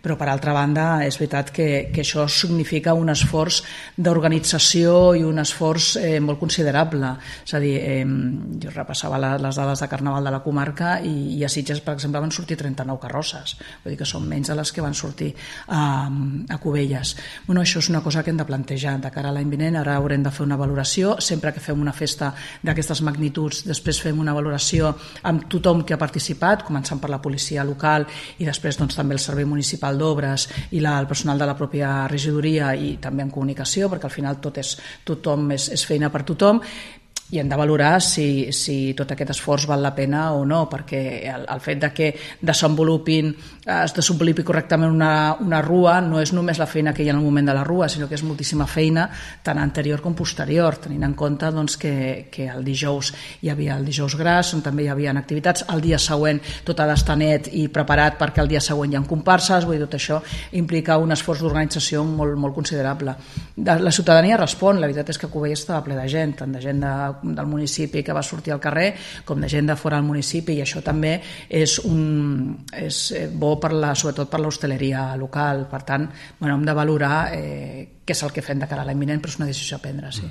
però per altra banda és veritat que això significa un esforç d'organització i un esforç molt considerable. És a dir, jo repassava les dades de Carnaval de la comarca i a Sitges, per exemple, van sortir 39 carrosses, vull dir que són menys de les que van sortir a Cubelles. Bueno, això és una cosa que hem de plantejar de cara a l'any vinent. Ara haurem de fer una valoració, sempre que fem una festa d'aquestes magnituds, després fem una valoració amb tothom que ha participat, començant per la policia local i després doncs, també el Servei Municipal d'Obres i el personal de la pròpia regidoria i també en comunicació, perquè al final tothom és feina per tothom, i hem de valorar si tot aquest esforç val la pena o no, perquè el fet de que es desenvolupi correctament una rua no és només la feina que hi ha en el moment de la rua, sinó que és moltíssima feina tant anterior com posterior, tenint en compte doncs, que el dijous hi havia el dijous gras, on també hi havia activitats, el dia següent tot ha d'estar net i preparat perquè el dia següent hi ha comparses, vull dir, tot això implica un esforç d'organització molt, molt considerable. La ciutadania respon, la veritat és que Cubelles estava ple de gent, tant de gent del municipi que va sortir al carrer com de gent de fora del municipi, i això també és bo sobretot per l'hostaleria local. Per tant, hem de valorar què és el que fem de cara a l'any vinent, però és una decisió a prendre, sí.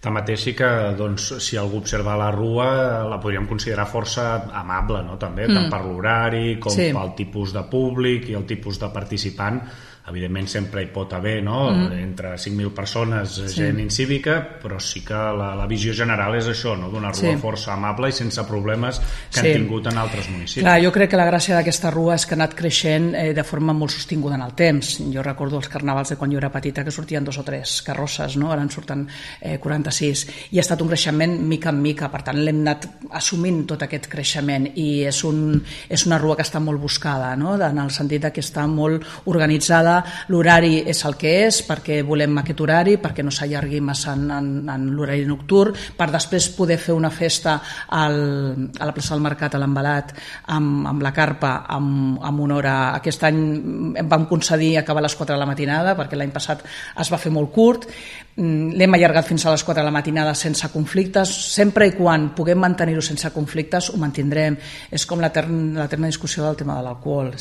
Tanmateix sí que doncs, si algú observa la rua la podríem considerar força amable, no? També, tant per l'horari com pel tipus de públic i el tipus de participant. Evidentment sempre hi pot haver, no? Entre 5.000 persones, gent incívica, però sí que la visió general és això, no? D'una rua força amable i sense problemes que han tingut en altres municipis. Clar, jo crec que la gràcia d'aquesta rua és que ha anat creixent de forma molt sostinguda en el temps. Jo recordo els carnavals de quan jo era petita que sortien 2 o 3 carrosses, no? Ara en surten 46, i ha estat un creixement mica en mica, per tant l'hem anat assumint tot aquest creixement, i és una rua que està molt buscada, no? En el sentit que està molt organitzada. L'horari és el que és, perquè volem aquest horari, perquè no s'allargui massa en l'horari nocturn, per després poder fer una festa a la plaça del Mercat, a l'Envelat, amb la carpa, amb una hora. Aquest any vam concedir acabar a les 4 de la matinada, perquè l'any passat es va fer molt curt. L'hem allargat fins a les 4 de la matinada sense conflictes. Sempre i quan puguem mantenir-ho sense conflictes, ho mantindrem. És com l'eterna discussió del tema de l'alcohol.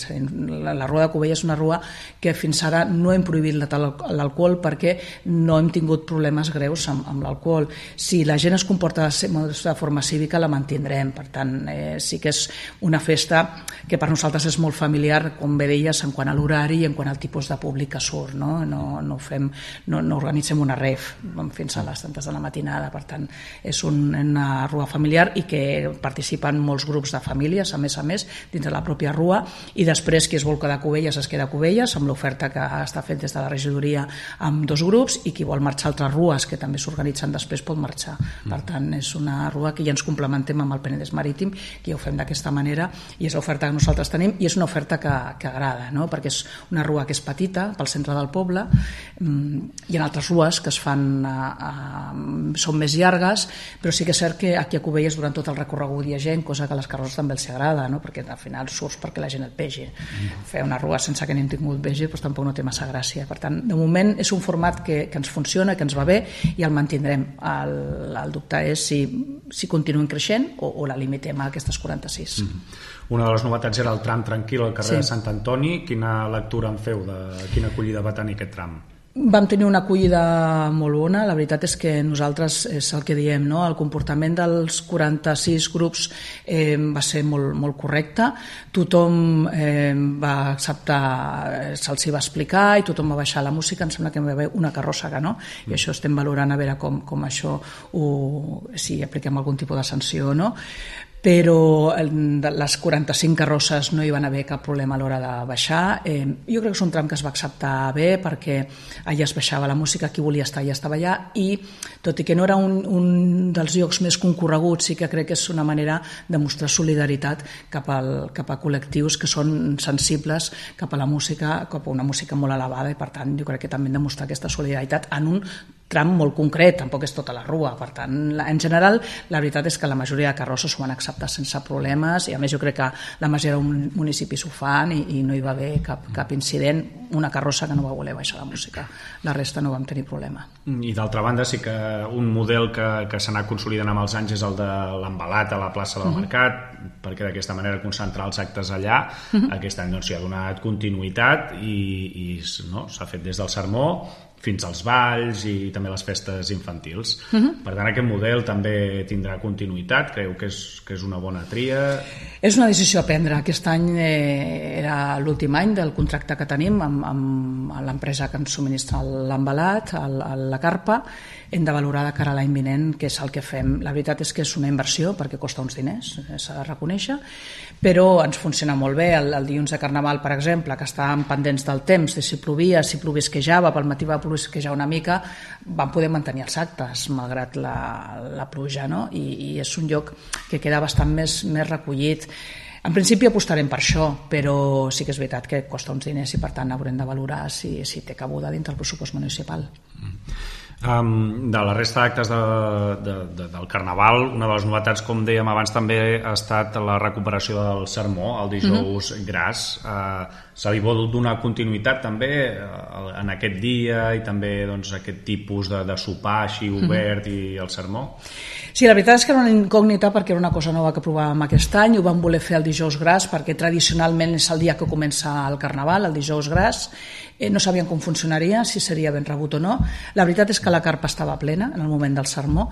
La rua de Cubelles és una rua que fins ara no hem prohibit l'alcohol perquè no hem tingut problemes greus amb l'alcohol. Si la gent es comporta de forma cívica, la mantindrem. Per tant, sí que és una festa que per nosaltres és molt familiar, com bé deies, en quant a l'horari i en quant al tipus de públic que surt. No organitzem una rave fins a les tantes de la matinada. Per tant, és una rua familiar i que participen molts grups de famílies, a més, dins de la pròpia rua, i després qui es vol quedar a Cubelles es queda a Cubelles, amb l'oferta que està fet des de la regidoria amb 2 grups, i qui vol marxar a altres rues que també s'organitzen després pot marxar. Per tant, és una rua que ja ens complementem amb el Penedès Marítim, que ja ho fem d'aquesta manera, i és l'oferta que nosaltres tenim, i és una oferta que agrada, no? Perquè és una rua que és petita, pel centre del poble. Hi ha altres rues que es fan són més llargues, però sí que és cert que aquí a Cubelles durant tot el recorregut hi ha gent, cosa que a les carrosses també els agrada, no? Perquè al final surts perquè la gent et vegi. Fer una rua sense que n'hem tingut vegi doncs tampoc no té massa gràcia. Per tant, de moment és un format que ens funciona, que ens va bé, i el mantindrem. El dubte és si continuem creixent o la limitem a aquestes 46. Una de les novetats era el tram tranquil al carrer de Sant Antoni. Quina lectura en feu? Quina acollida va tenir aquest tram? Vam tenir una acollida molt bona. La veritat és que nosaltres, és el que diem, no? El comportament dels 46 grups va ser molt correcte. Tothom va acceptar, se'ls va explicar, i tothom va baixar la música. Em sembla que hi va haver una carrossa que no, i això estem valorant a veure com això, si apliquem algun tipus de sanció o no. Però les 45 carrosses no hi van haver cap problema a l'hora de baixar. Jo crec que és un tram que es va acceptar bé, perquè allà es baixava la música, qui volia estar allà estava allà, i tot i que no era un dels llocs més concorreguts, sí que crec que és una manera de mostrar solidaritat cap a col·lectius que són sensibles cap a la música, cap a una música molt elevada, i per tant jo crec que també hem de mostrar aquesta solidaritat en un tram molt concret, tampoc és tota la rua. Per tant, en general, la veritat és que la majoria de carrosses ho van acceptar sense problemes, i a més jo crec que la majoria de municipis ho fan, i no hi va haver cap incident. Una carrossa que no va voler baixar la música, la resta no vam tenir problema. I d'altra banda sí que un model que s'ha anat consolidant amb els anys és el de l'embalat a la plaça del Mercat, perquè d'aquesta manera concentrar els actes allà. Aquest any s'hi ha donat continuïtat i s'ha fet des del sermó fins als balls i també les festes infantils. Per tant, aquest model també tindrà continuïtat? Creu que és una bona tria? És una decisió a prendre. Aquest any era l'últim any del contracte que tenim amb l'empresa que ens subministra l'embalat, la carpa. Hem de valorar de cara a l'any vinent què és el que fem. La veritat és que és una inversió perquè costa uns diners, s'ha de reconèixer, però ens funciona molt bé. El dilluns de Carnaval, per exemple, que estàvem pendents del temps, de si plovia, si plovisquejava, pel matí va plovisquejar una mica, vam poder mantenir els actes malgrat la pluja, no? I és un lloc que queda bastant més recollit. En principi apostarem per això, però sí que és veritat que costa uns diners i per tant haurem de valorar si té cabuda dintre el pressupost municipal. De la resta d'actes del Carnaval, una de les novetats, com dèiem abans, també ha estat la recuperació del sermó, el dijous gras. Se li vol donar continuïtat també en aquest dia i també aquest tipus de sopar així obert i el sermó? Sí, la veritat és que era una incògnita perquè era una cosa nova que provàvem aquest any. Ho vam voler fer el dijous gras perquè tradicionalment és el dia que comença el Carnaval, el dijous gras. No sabíem com funcionaria, si seria ben rebut o no. La veritat és que la carpa estava plena en el moment del sermó.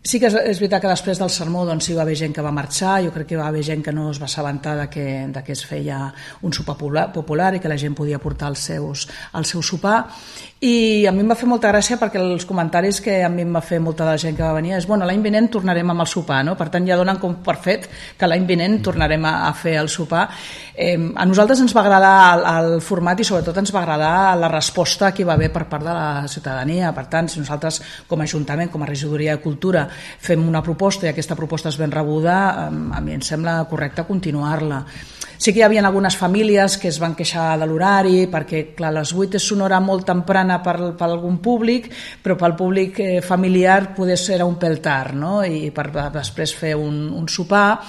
Sí que és veritat que després del sermó hi va haver gent que va marxar. Jo crec que va haver gent que no es va assabentar que es feia un sopar popular i que la gent podia portar el seu sopar. I a mi em va fer molta gràcia perquè els comentaris que a mi em va fer molta de la gent que va venir és l'any vinent tornarem amb el sopar, no? Per tant ja donen com per fet que l'any vinent tornarem a fer el sopar. A nosaltres ens va agradar el format i sobretot ens va agradar la resposta que hi va haver per part de la ciutadania. Per tant, si nosaltres com a Ajuntament, com a Regidoria de Cultura fem una proposta i aquesta proposta és ben rebuda, a mi em sembla correcte continuar-la. Sí que hi havia algunes famílies que es van queixar de l'horari perquè, clar, les 8 és una hora molt temprana per algun públic, però pel públic familiar poder ser un pèl tard, no? I per després fer un sopar.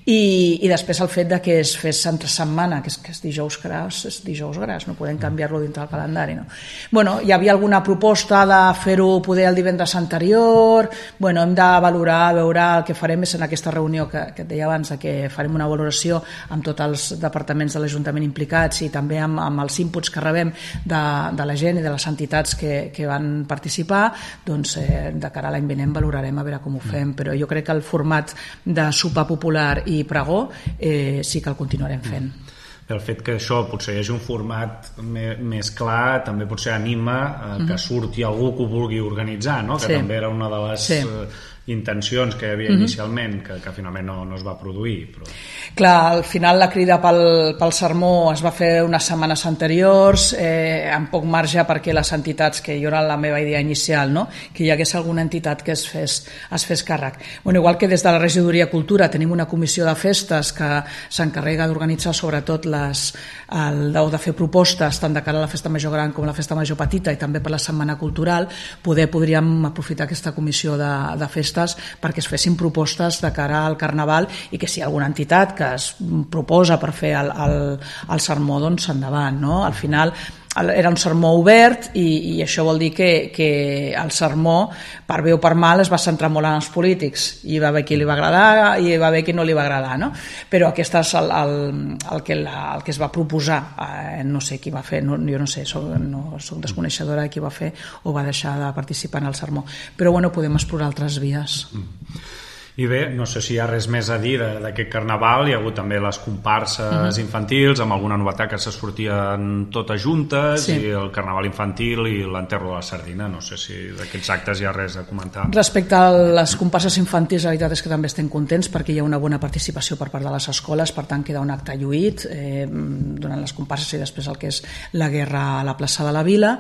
I després el fet de que es fes entre setmana, que és dijous gras, no podem canviar-lo dintre del calendari, no? Bueno, hi havia alguna proposta de fer-ho poder el divendres anterior. Bueno, hem de valorar, veure el que farem és en aquesta reunió que et deia abans, que farem una valoració amb tots els departaments de l'Ajuntament implicats i també amb els inputs que rebem de la gent i de les entitats que van participar. Doncs de cara a l'any vinent valorarem a veure com ho fem, però jo crec que el format de sopar popular i pregó sí que el continuarem fent. El fet que això potser hi hagi un format més clar també potser anima que surti algú que ho vulgui organitzar, no? Que també era una de les intencions que hi havia inicialment, que finalment no es va produir. Però... Clar, al final la crida pel sermó es va fer unes setmanes anteriors, amb poc marge perquè les entitats, que jo era la meva idea inicial, no? Que hi hagués alguna entitat que es fes càrrec. Bueno, igual que des de la Regidoria Cultura tenim una comissió de festes que s'encarrega d'organitzar sobretot de fer propostes tant de cara a la festa major gran com a la festa major petita i també per la setmana cultural, podríem aprofitar aquesta comissió de festes perquè es fessin propostes de cara al Carnaval i que si hi ha alguna entitat que es proposa per fer el sermó, doncs endavant, no? Al final era un sermó obert i això vol dir que el sermó, per bé o per mal, es va centrar molt en els polítics. Hi va haver qui li va agradar i hi va haver qui no li va agradar, no? Però aquest és el que es va proposar. No sé qui va fer, jo no sé, soc desconeixedora de qui va fer o va deixar de participar en el sermó. Però bueno, podem explorar altres vies. I bé, no sé si hi ha res més a dir d'aquest Carnaval. Hi ha hagut també les comparses infantils, amb alguna novetat que se sortien totes juntes, i el Carnaval infantil i l'enterro de la sardina. No sé si d'aquests actes hi ha res a comentar. Respecte a les comparses infantils, la veritat és que també estem contents perquè hi ha una bona participació per part de les escoles, per tant queda un acte lluït durant les comparses i després el que és la guerra a la plaça de la Vila,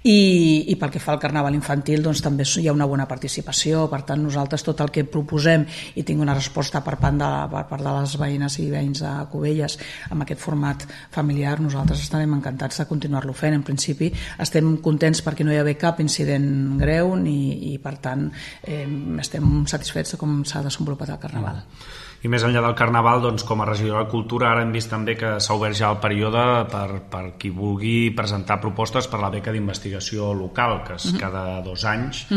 i pel que fa al Carnaval infantil doncs també hi ha una bona participació. Per tant, nosaltres tot el que proposem i tinc una resposta per part de les veïnes i veïns de Cubelles amb aquest format familiar, nosaltres estarem encantats de continuar-lo fent. En principi estem contents perquè no hi ha haver cap incident greu i per tant estem satisfets de com s'ha desenvolupat el Carnaval. I més enllà del Carnaval, doncs, com a regidora de Cultura, ara hem vist també que s'ha obert ja el període per qui vulgui presentar propostes per la beca d'investigació local, que és cada 2 anys.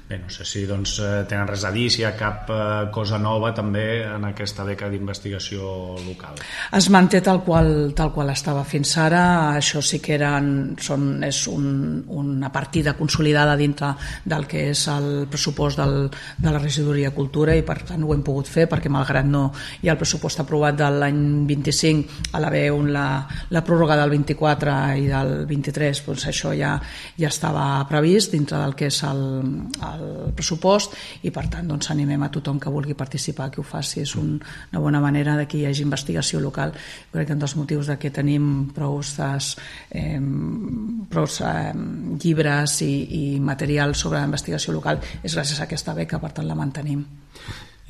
Bé, no sé si doncs, tenen res a dir, si hi ha cap cosa nova també en aquesta beca d'investigació local. Es manté tal qual estava fins ara. Això sí que és una partida consolidada dintre del que és el pressupost de la Regidoria de Cultura i per tant ho hem pogut fer perquè malgrat no hi ha el pressupost aprovat de l'any 25, a l'haver la pròrroga del 24 i del 23, doncs això ja estava previst dintre del que és el pressupost i per tant doncs animem a tothom que vulgui participar que ho faci. És una bona manera de que hi hagi investigació local. Crec que un dels motius de que tenim prou llibres i material sobre la investigació local és gràcies a aquesta beca, per tant la mantenim.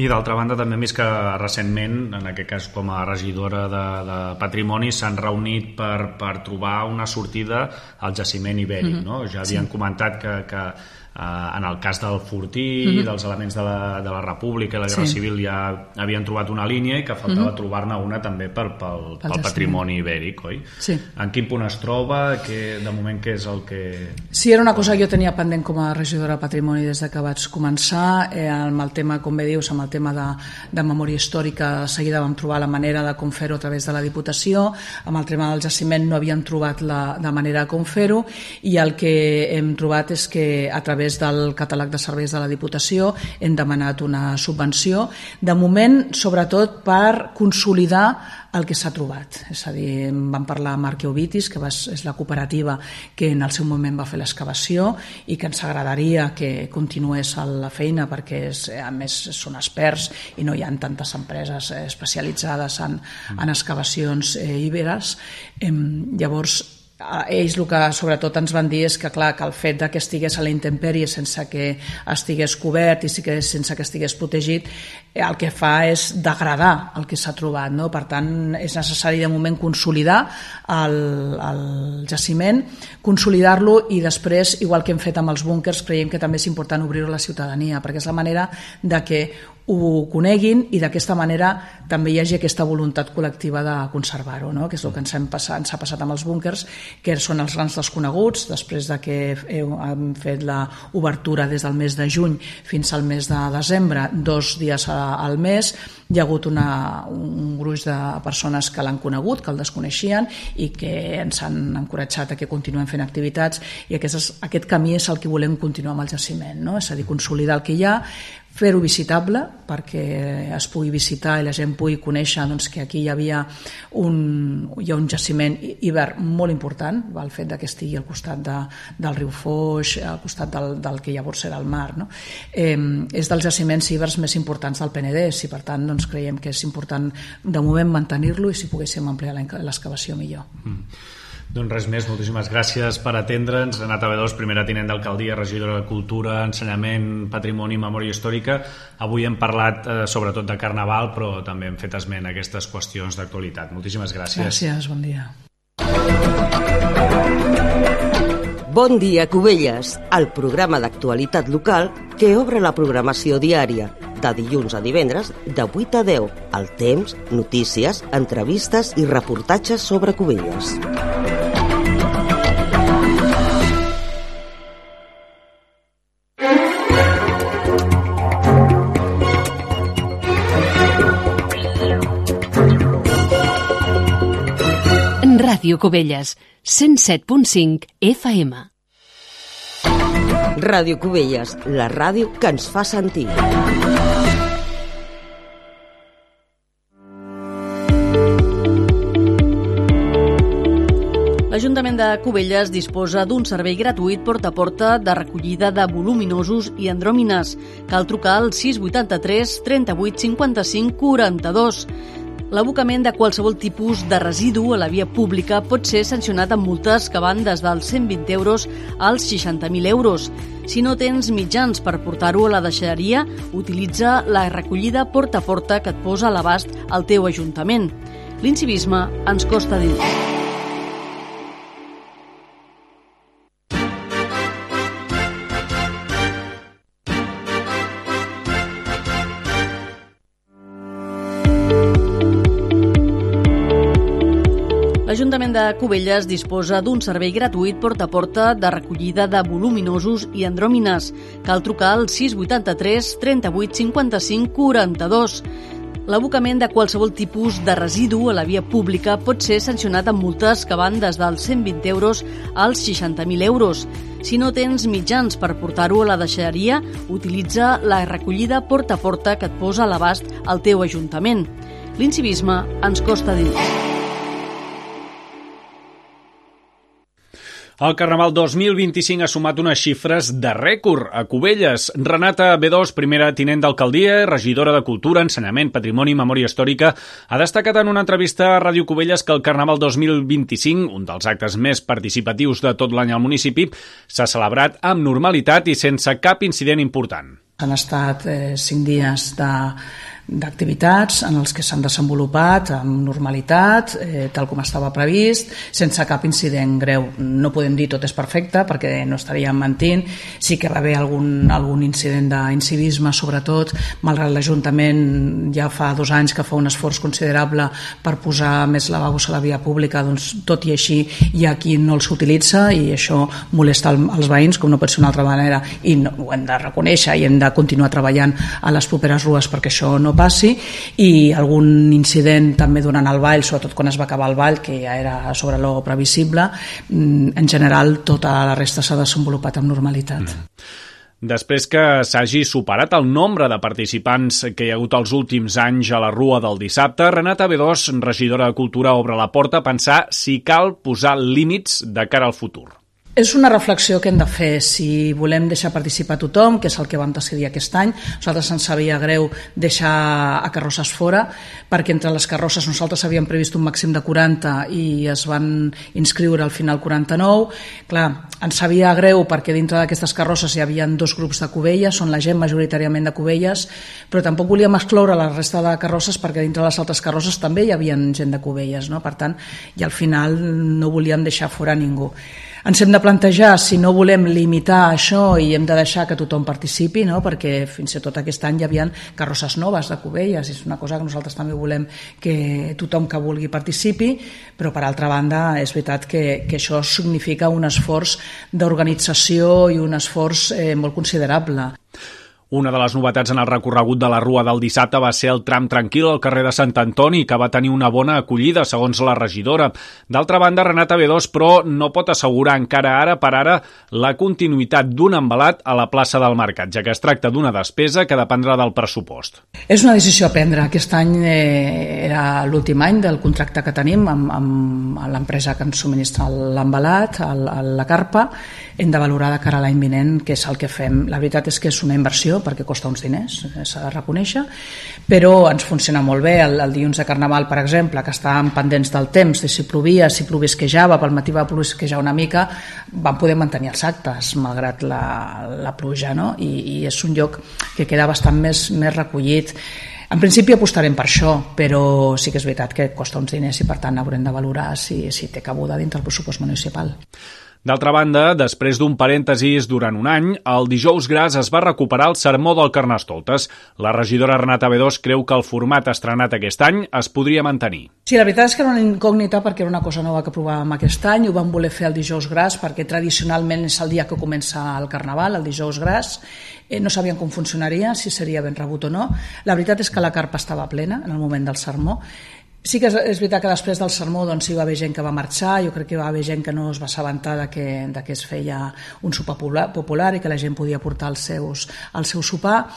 I d'altra banda també hem vist que recentment, en aquest cas com a regidora de Patrimoni, s'han reunit per trobar una sortida al jaciment ibèric, no? Ja havien comentat que en el cas del Fortí, dels elements de la República i la Guerra Civil ja havien trobat una línia i que faltava trobar-ne una també pel patrimoni ibèric, oi? Sí. En quin punt es troba? De moment què és el que... Sí, era una cosa que jo tenia pendent com a regidora de Patrimoni des que vaig començar, amb el tema, com bé dius, amb el tema de memòria històrica. De seguida vam trobar la manera de com fer-ho a través de la Diputació. Amb el tema del jaciment no havíem trobat la manera de com fer-ho i el que hem trobat és que a través del catàleg de serveis de la Diputació hem demanat una subvenció, de moment sobretot per consolidar el que s'ha trobat. És a dir, vam parlar amb Arqueovitis, que és la cooperativa que en el seu moment va fer l'excavació i que ens agradaria que continués la feina perquè a més són experts i no hi ha tantes empreses especialitzades en excavacions íberes. Llavors ells el que sobretot ens van dir és que, clar, que el fet que estigués a la intempèrie sense que estigués cobert i sense que estigués protegit, el que fa és degradar el que s'ha trobat, no? Per tant, és necessari de moment consolidar el jaciment, consolidar-lo i després, igual que hem fet amb els búnquers, creiem que també és important obrir-ho a la ciutadania, perquè és la manera de que ho coneguin i d'aquesta manera també hi hagi aquesta voluntat col·lectiva de conservar-ho, no? Que és el que ens ha passat amb els búnquers, que són els grans desconeguts. Després de que hem fet l'obertura des del mes de juny fins al mes de desembre, 2 dies al mes, hi ha hagut un gruix de persones que l'han conegut, que el desconeixien i que ens han encoratjat a que continuem fent activitats, i aquest camí és el que volem continuar amb el jaciment, no? És a dir, consolidar el que hi ha, fer-ho visitable perquè es pugui visitar i la gent pugui conèixer que aquí hi ha un jaciment hivern molt important, el fet que estigui al costat del riu Foix, al costat del que llavors era el mar, no? És dels jaciments hiverns més importants del Penedès i per tant creiem que és important de moment mantenir-lo i si poguéssim ampliar l'excavació millor. Doncs res més, moltíssimes gràcies per atendre'ns. Renata Bedós, primera tinent d'alcaldia, regidora de Cultura, Ensenyament, Patrimoni i Memòria Històrica. Avui hem parlat sobretot de Carnaval, però també hem fet esment a aquestes qüestions d'actualitat. Moltíssimes gràcies. Gràcies, bon dia. Bon dia, Cubelles, el programa d'actualitat local que obre la programació diària, de dilluns a divendres, de 8 a 10, al temps, notícies, entrevistes i reportatges sobre Cubelles. Ràdio Cubelles, 107.5 FM. Ràdio Cubelles, la ràdio que ens fa sentir. L'Ajuntament de Cubelles disposa d'un servei gratuït porta a porta de recollida de voluminosos i andròmines. Cal trucar al 683 38 55 42. L'abocament de qualsevol tipus de residu a la via pública pot ser sancionat amb multes que van des dels 120 euros als 60.000 euros. Si no tens mitjans per portar-ho a la deixalleria, utilitza la recollida porta a porta que et posa a l'abast al teu ajuntament. L'incivisme ens costa dir. L'Ajuntament de Cubelles disposa d'un servei gratuït porta a porta de recollida de voluminosos i andròmines. Cal trucar al 683 38 55 42. L'abocament de qualsevol tipus de residu a la via pública pot ser sancionat amb multes que van des dels 120 euros als 60.000 euros. Si no tens mitjans per portar-ho a la deixalleria, utilitza la recollida porta a porta que et posa a l'abast al teu ajuntament. L'incivisme ens costa dir. El Carnaval 2025 ha sumat unes xifres de rècord a Cubelles. Renata Bedós, primera tinent d'alcaldia, regidora de Cultura, Ensenyament, Patrimoni i Memòria Històrica, ha destacat en una entrevista a Ràdio Cubelles que el Carnaval 2025, un dels actes més participatius de tot l'any al municipi, s'ha celebrat amb normalitat i sense cap incident important. Han estat 5 dies d'activitats en els que s'han desenvolupat amb normalitat, tal com estava previst, sense cap incident greu. No podem dir tot és perfecte perquè no estaríem mentint. Sí que va haver algun incident d'incivisme, sobretot, malgrat l'Ajuntament ja fa 2 anys que fa un esforç considerable per posar més lavabos a la via pública, doncs tot i així hi ha qui no els utilitza i això molesta els veïns, com no pot ser una altra manera, i ho hem de reconèixer i hem de continuar treballant a les properes rues perquè això no passi, i algun incident també durant el ball, sobretot quan es va acabar el ball, que ja era sobre lo previsible. En general tota la resta s'ha desenvolupat amb normalitat. Després que s'hagi superat el nombre de participants que hi ha hagut els últims anys a la Rua del dissabte, Renata Bedós, regidora de Cultura, obre la porta a pensar si cal posar límits de cara al futur. És una reflexió que hem de fer si volem deixar participar tothom, que és el que vam decidir aquest any. Nosaltres ens sabia greu deixar a carrosses fora, perquè entre les carrosses nosaltres havíem previst un màxim de 40 i es van inscriure al final 49. Clar, ens sabia greu perquè dintre d'aquestes carrosses hi havia 2 grups de Cubelles, són la gent majoritàriament de Cubelles, però tampoc volíem excloure la resta de carrosses perquè dintre les altres carrosses també hi havia gent de Cubelles, no? Per tant, i al final no volíem deixar fora ningú. Ens hem de plantejar si no volem limitar això i hem de deixar que tothom participi, no? Perquè fins i tot aquest any hi havia carrosses noves de Cubelles, és una cosa que nosaltres també volem que tothom que vulgui participi, però per altra banda és veritat que això significa un esforç d'organització i un esforç molt considerable. Una de les novetats en el recorregut de la Rua del dissabte va ser el tram tranquil al carrer de Sant Antoni, que va tenir una bona acollida, segons la regidora. D'altra banda, Renata B2, però, no pot assegurar encara ara per ara la continuïtat d'un embalat a la plaça del Mercat, ja que es tracta d'una despesa que dependrà del pressupost. És una decisió a prendre. Aquest any era l'últim any del contracte que tenim amb l'empresa que ens subministra l'embalat, la carpa. Hem de valorar de cara a l'any vinent què és el que fem. La veritat és que és una inversió perquè costa uns diners, s'ha de reconèixer, però ens funciona molt bé. El dilluns de Carnaval, per exemple, que estàvem pendents del temps, de si plovia, si plovisquejava, pel matí va plovisquejar una mica, vam poder mantenir els actes, malgrat la pluja, no? I és un lloc que queda bastant més recollit. En principi apostarem per això, però sí que és veritat que costa uns diners i per tant haurem de valorar si té cabuda dintre el pressupost municipal. D'altra banda, després d'un parèntesis durant un any, el dijous gras es va recuperar el sermó del Carnestoltes. La regidora Renata B2 creu que el format estrenat aquest any es podria mantenir. Sí, la veritat és que era una incògnita perquè era una cosa nova que provàvem aquest any. Ho vam voler fer el dijous gras perquè tradicionalment és el dia que comença el Carnaval, el dijous gras. No sabíem com funcionaria, si seria ben rebut o no. La veritat és que la carpa estava plena en el moment del sermó. Sí que és veritat que després del sermó doncs, hi va haver gent que va marxar, jo crec que hi va haver gent que no es va assabentar que es feia un sopar popular i que la gent podia portar el seu sopar,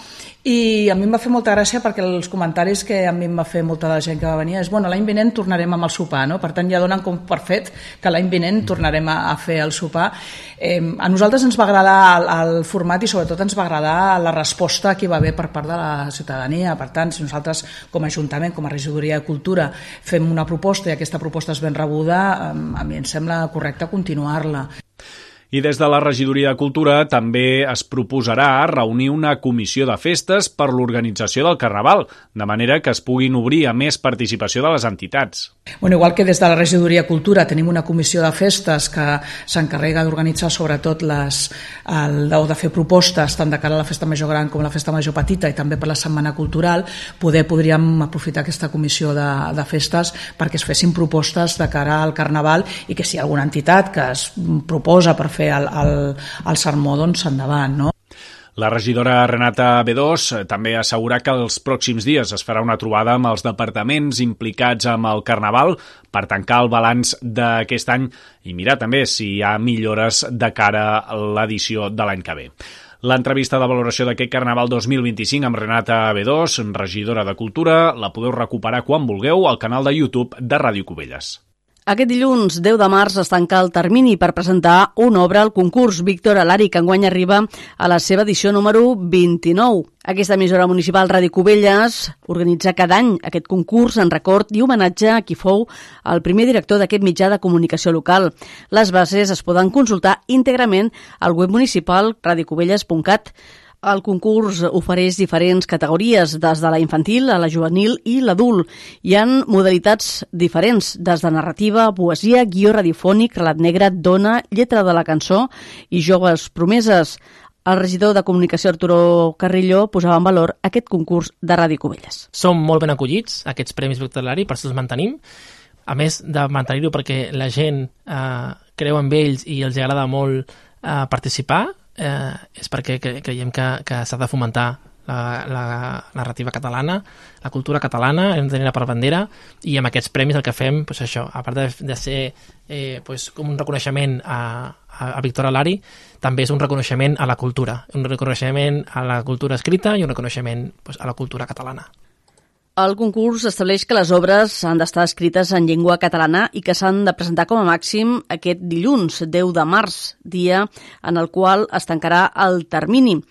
i a mi em va fer molta gràcia perquè els comentaris que a mi em va fer molta de la gent que va venir és bueno, l'any vinent tornarem amb el sopar, no? Per tant ja donen com per fet que l'any vinent tornarem a fer el sopar. A nosaltres ens va agradar el format i sobretot ens va agradar la resposta que hi va haver per part de la ciutadania. Per tant, si nosaltres com a Ajuntament, com a Regidoria de Cultura fem una proposta i aquesta proposta és ben rebuda, a mi em sembla correcte continuar-la. I des de la Regidoria de Cultura també es proposarà reunir una comissió de festes per l'organització del Carnaval, de manera que es puguin obrir a més participació de les entitats. Bueno, igual que des de la Regidoria de Cultura tenim una comissió de festes que s'encarrega d'organitzar sobretot de fer propostes tant de cara a la Festa Major Gran com a la Festa Major Petita i també per la Setmana Cultural, podríem aprofitar aquesta comissió de festes perquè es fessin propostes de cara al Carnaval i que si hi ha alguna entitat que es proposa per fer el sermó, doncs endavant, no? La regidora Renata B2 també assegura que els pròxims dies es farà una trobada amb els departaments implicats amb el Carnaval per tancar el balanç d'aquest any i mirar també si hi ha millores de cara a l'edició de l'any que ve. L'entrevista de valoració d'aquest Carnaval 2025 amb Renata B2, regidora de Cultura, la podeu recuperar quan vulgueu al canal de YouTube de Ràdio Cubelles. Aquest dilluns 10 de març es tanca el termini per presentar una obra al concurs Víctor Alari, que enguany arriba a la seva edició número 29. Aquesta emissora municipal Ràdio Cubelles organitza cada any aquest concurs en record i homenatge a qui fou el primer director d'aquest mitjà de comunicació local. Les bases es poden consultar íntegrament al web municipal radiocubelles.cat. El concurs ofereix diferents categories, des de la infantil a la juvenil i l'adult. Hi ha modalitats diferents, des de narrativa, poesia, guió radiofònic, relat negre, dona, lletra de la cançó i joves promeses. El regidor de Comunicació, Arturo Carrillo, posava en valor aquest concurs de Ràdio Cubelles. Som molt ben acollits, aquests Premis Víctor Alari, per això els mantenim. A més de mantenir-ho perquè la gent creu en ells i els agrada molt participar, és perquè creiem que s'ha de fomentar la narrativa catalana, la cultura catalana, hem de tenir-la per bandera, i amb aquests premis el que fem, doncs això, a part de ser com un reconeixement a Víctor Alari, també és un reconeixement a la cultura, un reconeixement a la cultura escrita i un reconeixement a la cultura catalana. El concurs estableix que les obres han d'estar escrites en llengua catalana i que s'han de presentar com a màxim aquest dilluns, 10 de març, dia en el qual es tancarà el termini.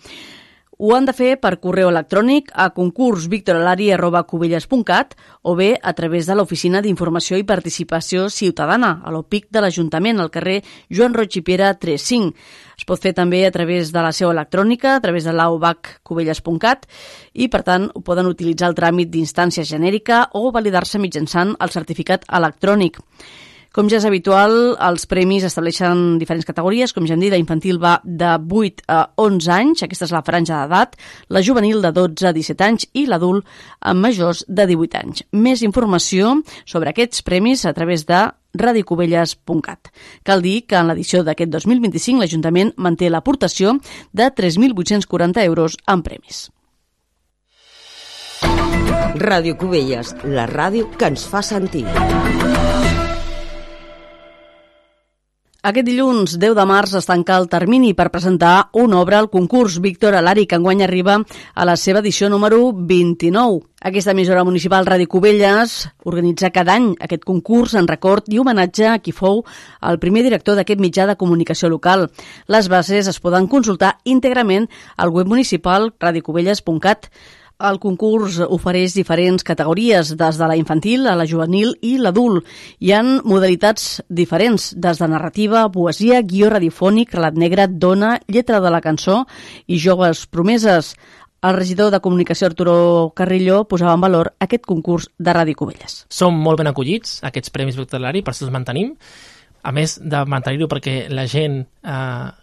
Ho han de fer per correu electrònic a concursvictoralari@cubelles.cat o bé a través de l'Oficina d'Informació i Participació Ciutadana, a l'OPIC de l'Ajuntament, al carrer Joan Roig i Piera 35. Es pot fer també a través de la seu electrònica, a través de l'AOBAC-cubelles.cat i, per tant, ho poden utilitzar el tràmit d'instància genèrica o validar-se mitjançant el certificat electrònic. Com ja és habitual, els premis estableixen diferents categories. Com ja hem dit, la infantil va de 8 a 11 anys, aquesta és la franja d'edat, la juvenil de 12 a 17 anys i l'adult amb majors de 18 anys. Més informació sobre aquests premis a través de radiocubelles.cat. Cal dir que en l'edició d'aquest 2025 l'Ajuntament manté l'aportació de 3.840 euros en premis. Ràdio Cubelles, la ràdio que ens fa sentir. Aquest dilluns, 10 de març, es tanca el termini per presentar una obra al concurs Víctor Alari, que enguany arriba a la seva edició número 29. Aquesta emissora municipal Ràdio Cubelles organitza cada any aquest concurs en record i homenatge a qui fou el primer director d'aquest mitjà de comunicació local. Les bases es poden consultar íntegrament al web municipal radiocubelles.cat. El concurs ofereix diferents categories, des de la infantil a la juvenil i l'adult. Hi ha modalitats diferents, des de narrativa, poesia, guió radiofònic, relat negre, dona, lletra de la cançó i joves promeses. El regidor de Comunicació, Arturo Carrillo, posava en valor aquest concurs de Ràdio Cubelles. Som molt ben acollits, aquests premis Víctor Alari, per això els mantenim. A més de mantenir-ho perquè la gent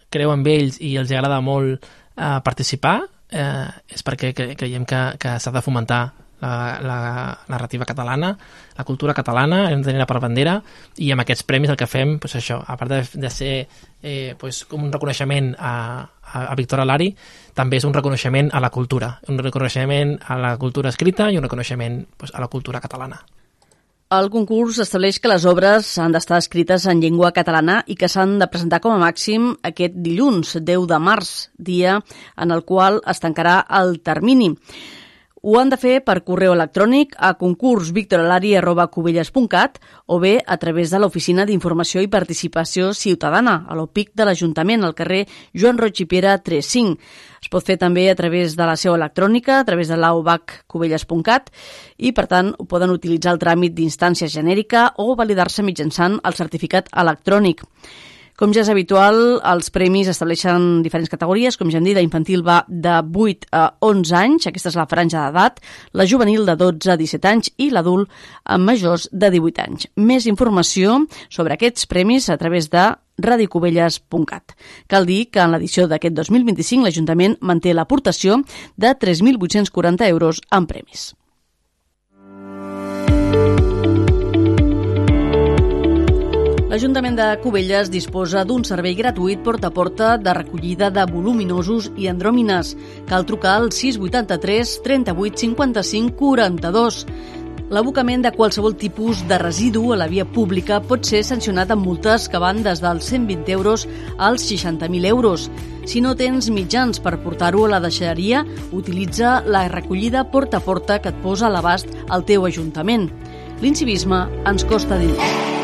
creu en ells i els agrada molt participar, és perquè creiem que s'ha de fomentar la narrativa catalana, la cultura catalana, hem de tenir-la per bandera, i amb aquests premis el que fem, doncs això, a part de ser com un reconeixement a Víctor Alari, també és un reconeixement a la cultura, un reconeixement a la cultura escrita i un reconeixement a la cultura catalana. El concurs estableix que les obres han d'estar escrites en llengua catalana i que s'han de presentar com a màxim aquest dilluns, 10 de març, dia en el qual es tancarà el termini. Ho han de fer per correu electrònic a concursvictoralari@cubelles.cat o bé a través de l'Oficina d'Informació i Participació Ciutadana, a l'OPIC de l'Ajuntament, al carrer Joan Roig i Piera 35. Es pot fer també a través de la seu electrònica, a través de l'aubaccubelles.cat i, per tant, poden utilitzar el tràmit d'instància genèrica o validar-se mitjançant el certificat electrònic. Com ja és habitual, els premis estableixen diferents categories. Com ja hem dit, la infantil va de 8 a 11 anys, aquesta és la franja d'edat, la juvenil de 12 a 17 anys i l'adult amb majors de 18 anys. Més informació sobre aquests premis a través de radiocubelles.cat. Cal dir que en l'edició d'aquest 2025 l'Ajuntament manté l'aportació de 3.840 euros en premis. L'Ajuntament de Cubelles disposa d'un servei gratuït porta a porta de recollida de voluminosos i andròmines. Cal trucar al 683 38 55 42. L'abocament de qualsevol tipus de residu a la via pública pot ser sancionat amb multes que van des dels 120 euros als 60.000 euros. Si no tens mitjans per portar-ho a la deixalleria, utilitza la recollida porta a porta que et posa a l'abast al teu ajuntament. L'incivisme ens costa diners.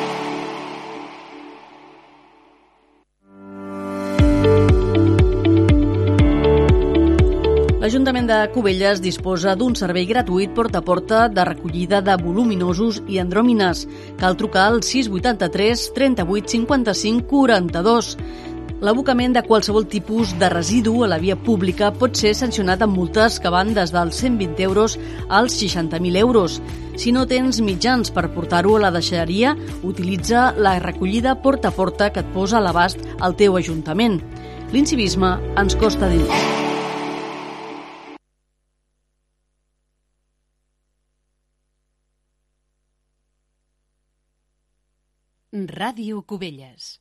L'Ajuntament de Cubelles disposa d'un servei gratuït porta a porta de recollida de voluminosos i andròmines. Cal trucar al 683 38 55 42. L'abocament de qualsevol tipus de residu a la via pública pot ser sancionat amb multes que van des dels 120 euros als 60.000 euros. Si no tens mitjans per portar-ho a la deixalleria, utilitza la recollida porta a porta que et posa a l'abast al teu ajuntament. L'incivisme ens costa diners. Ràdio Cubelles.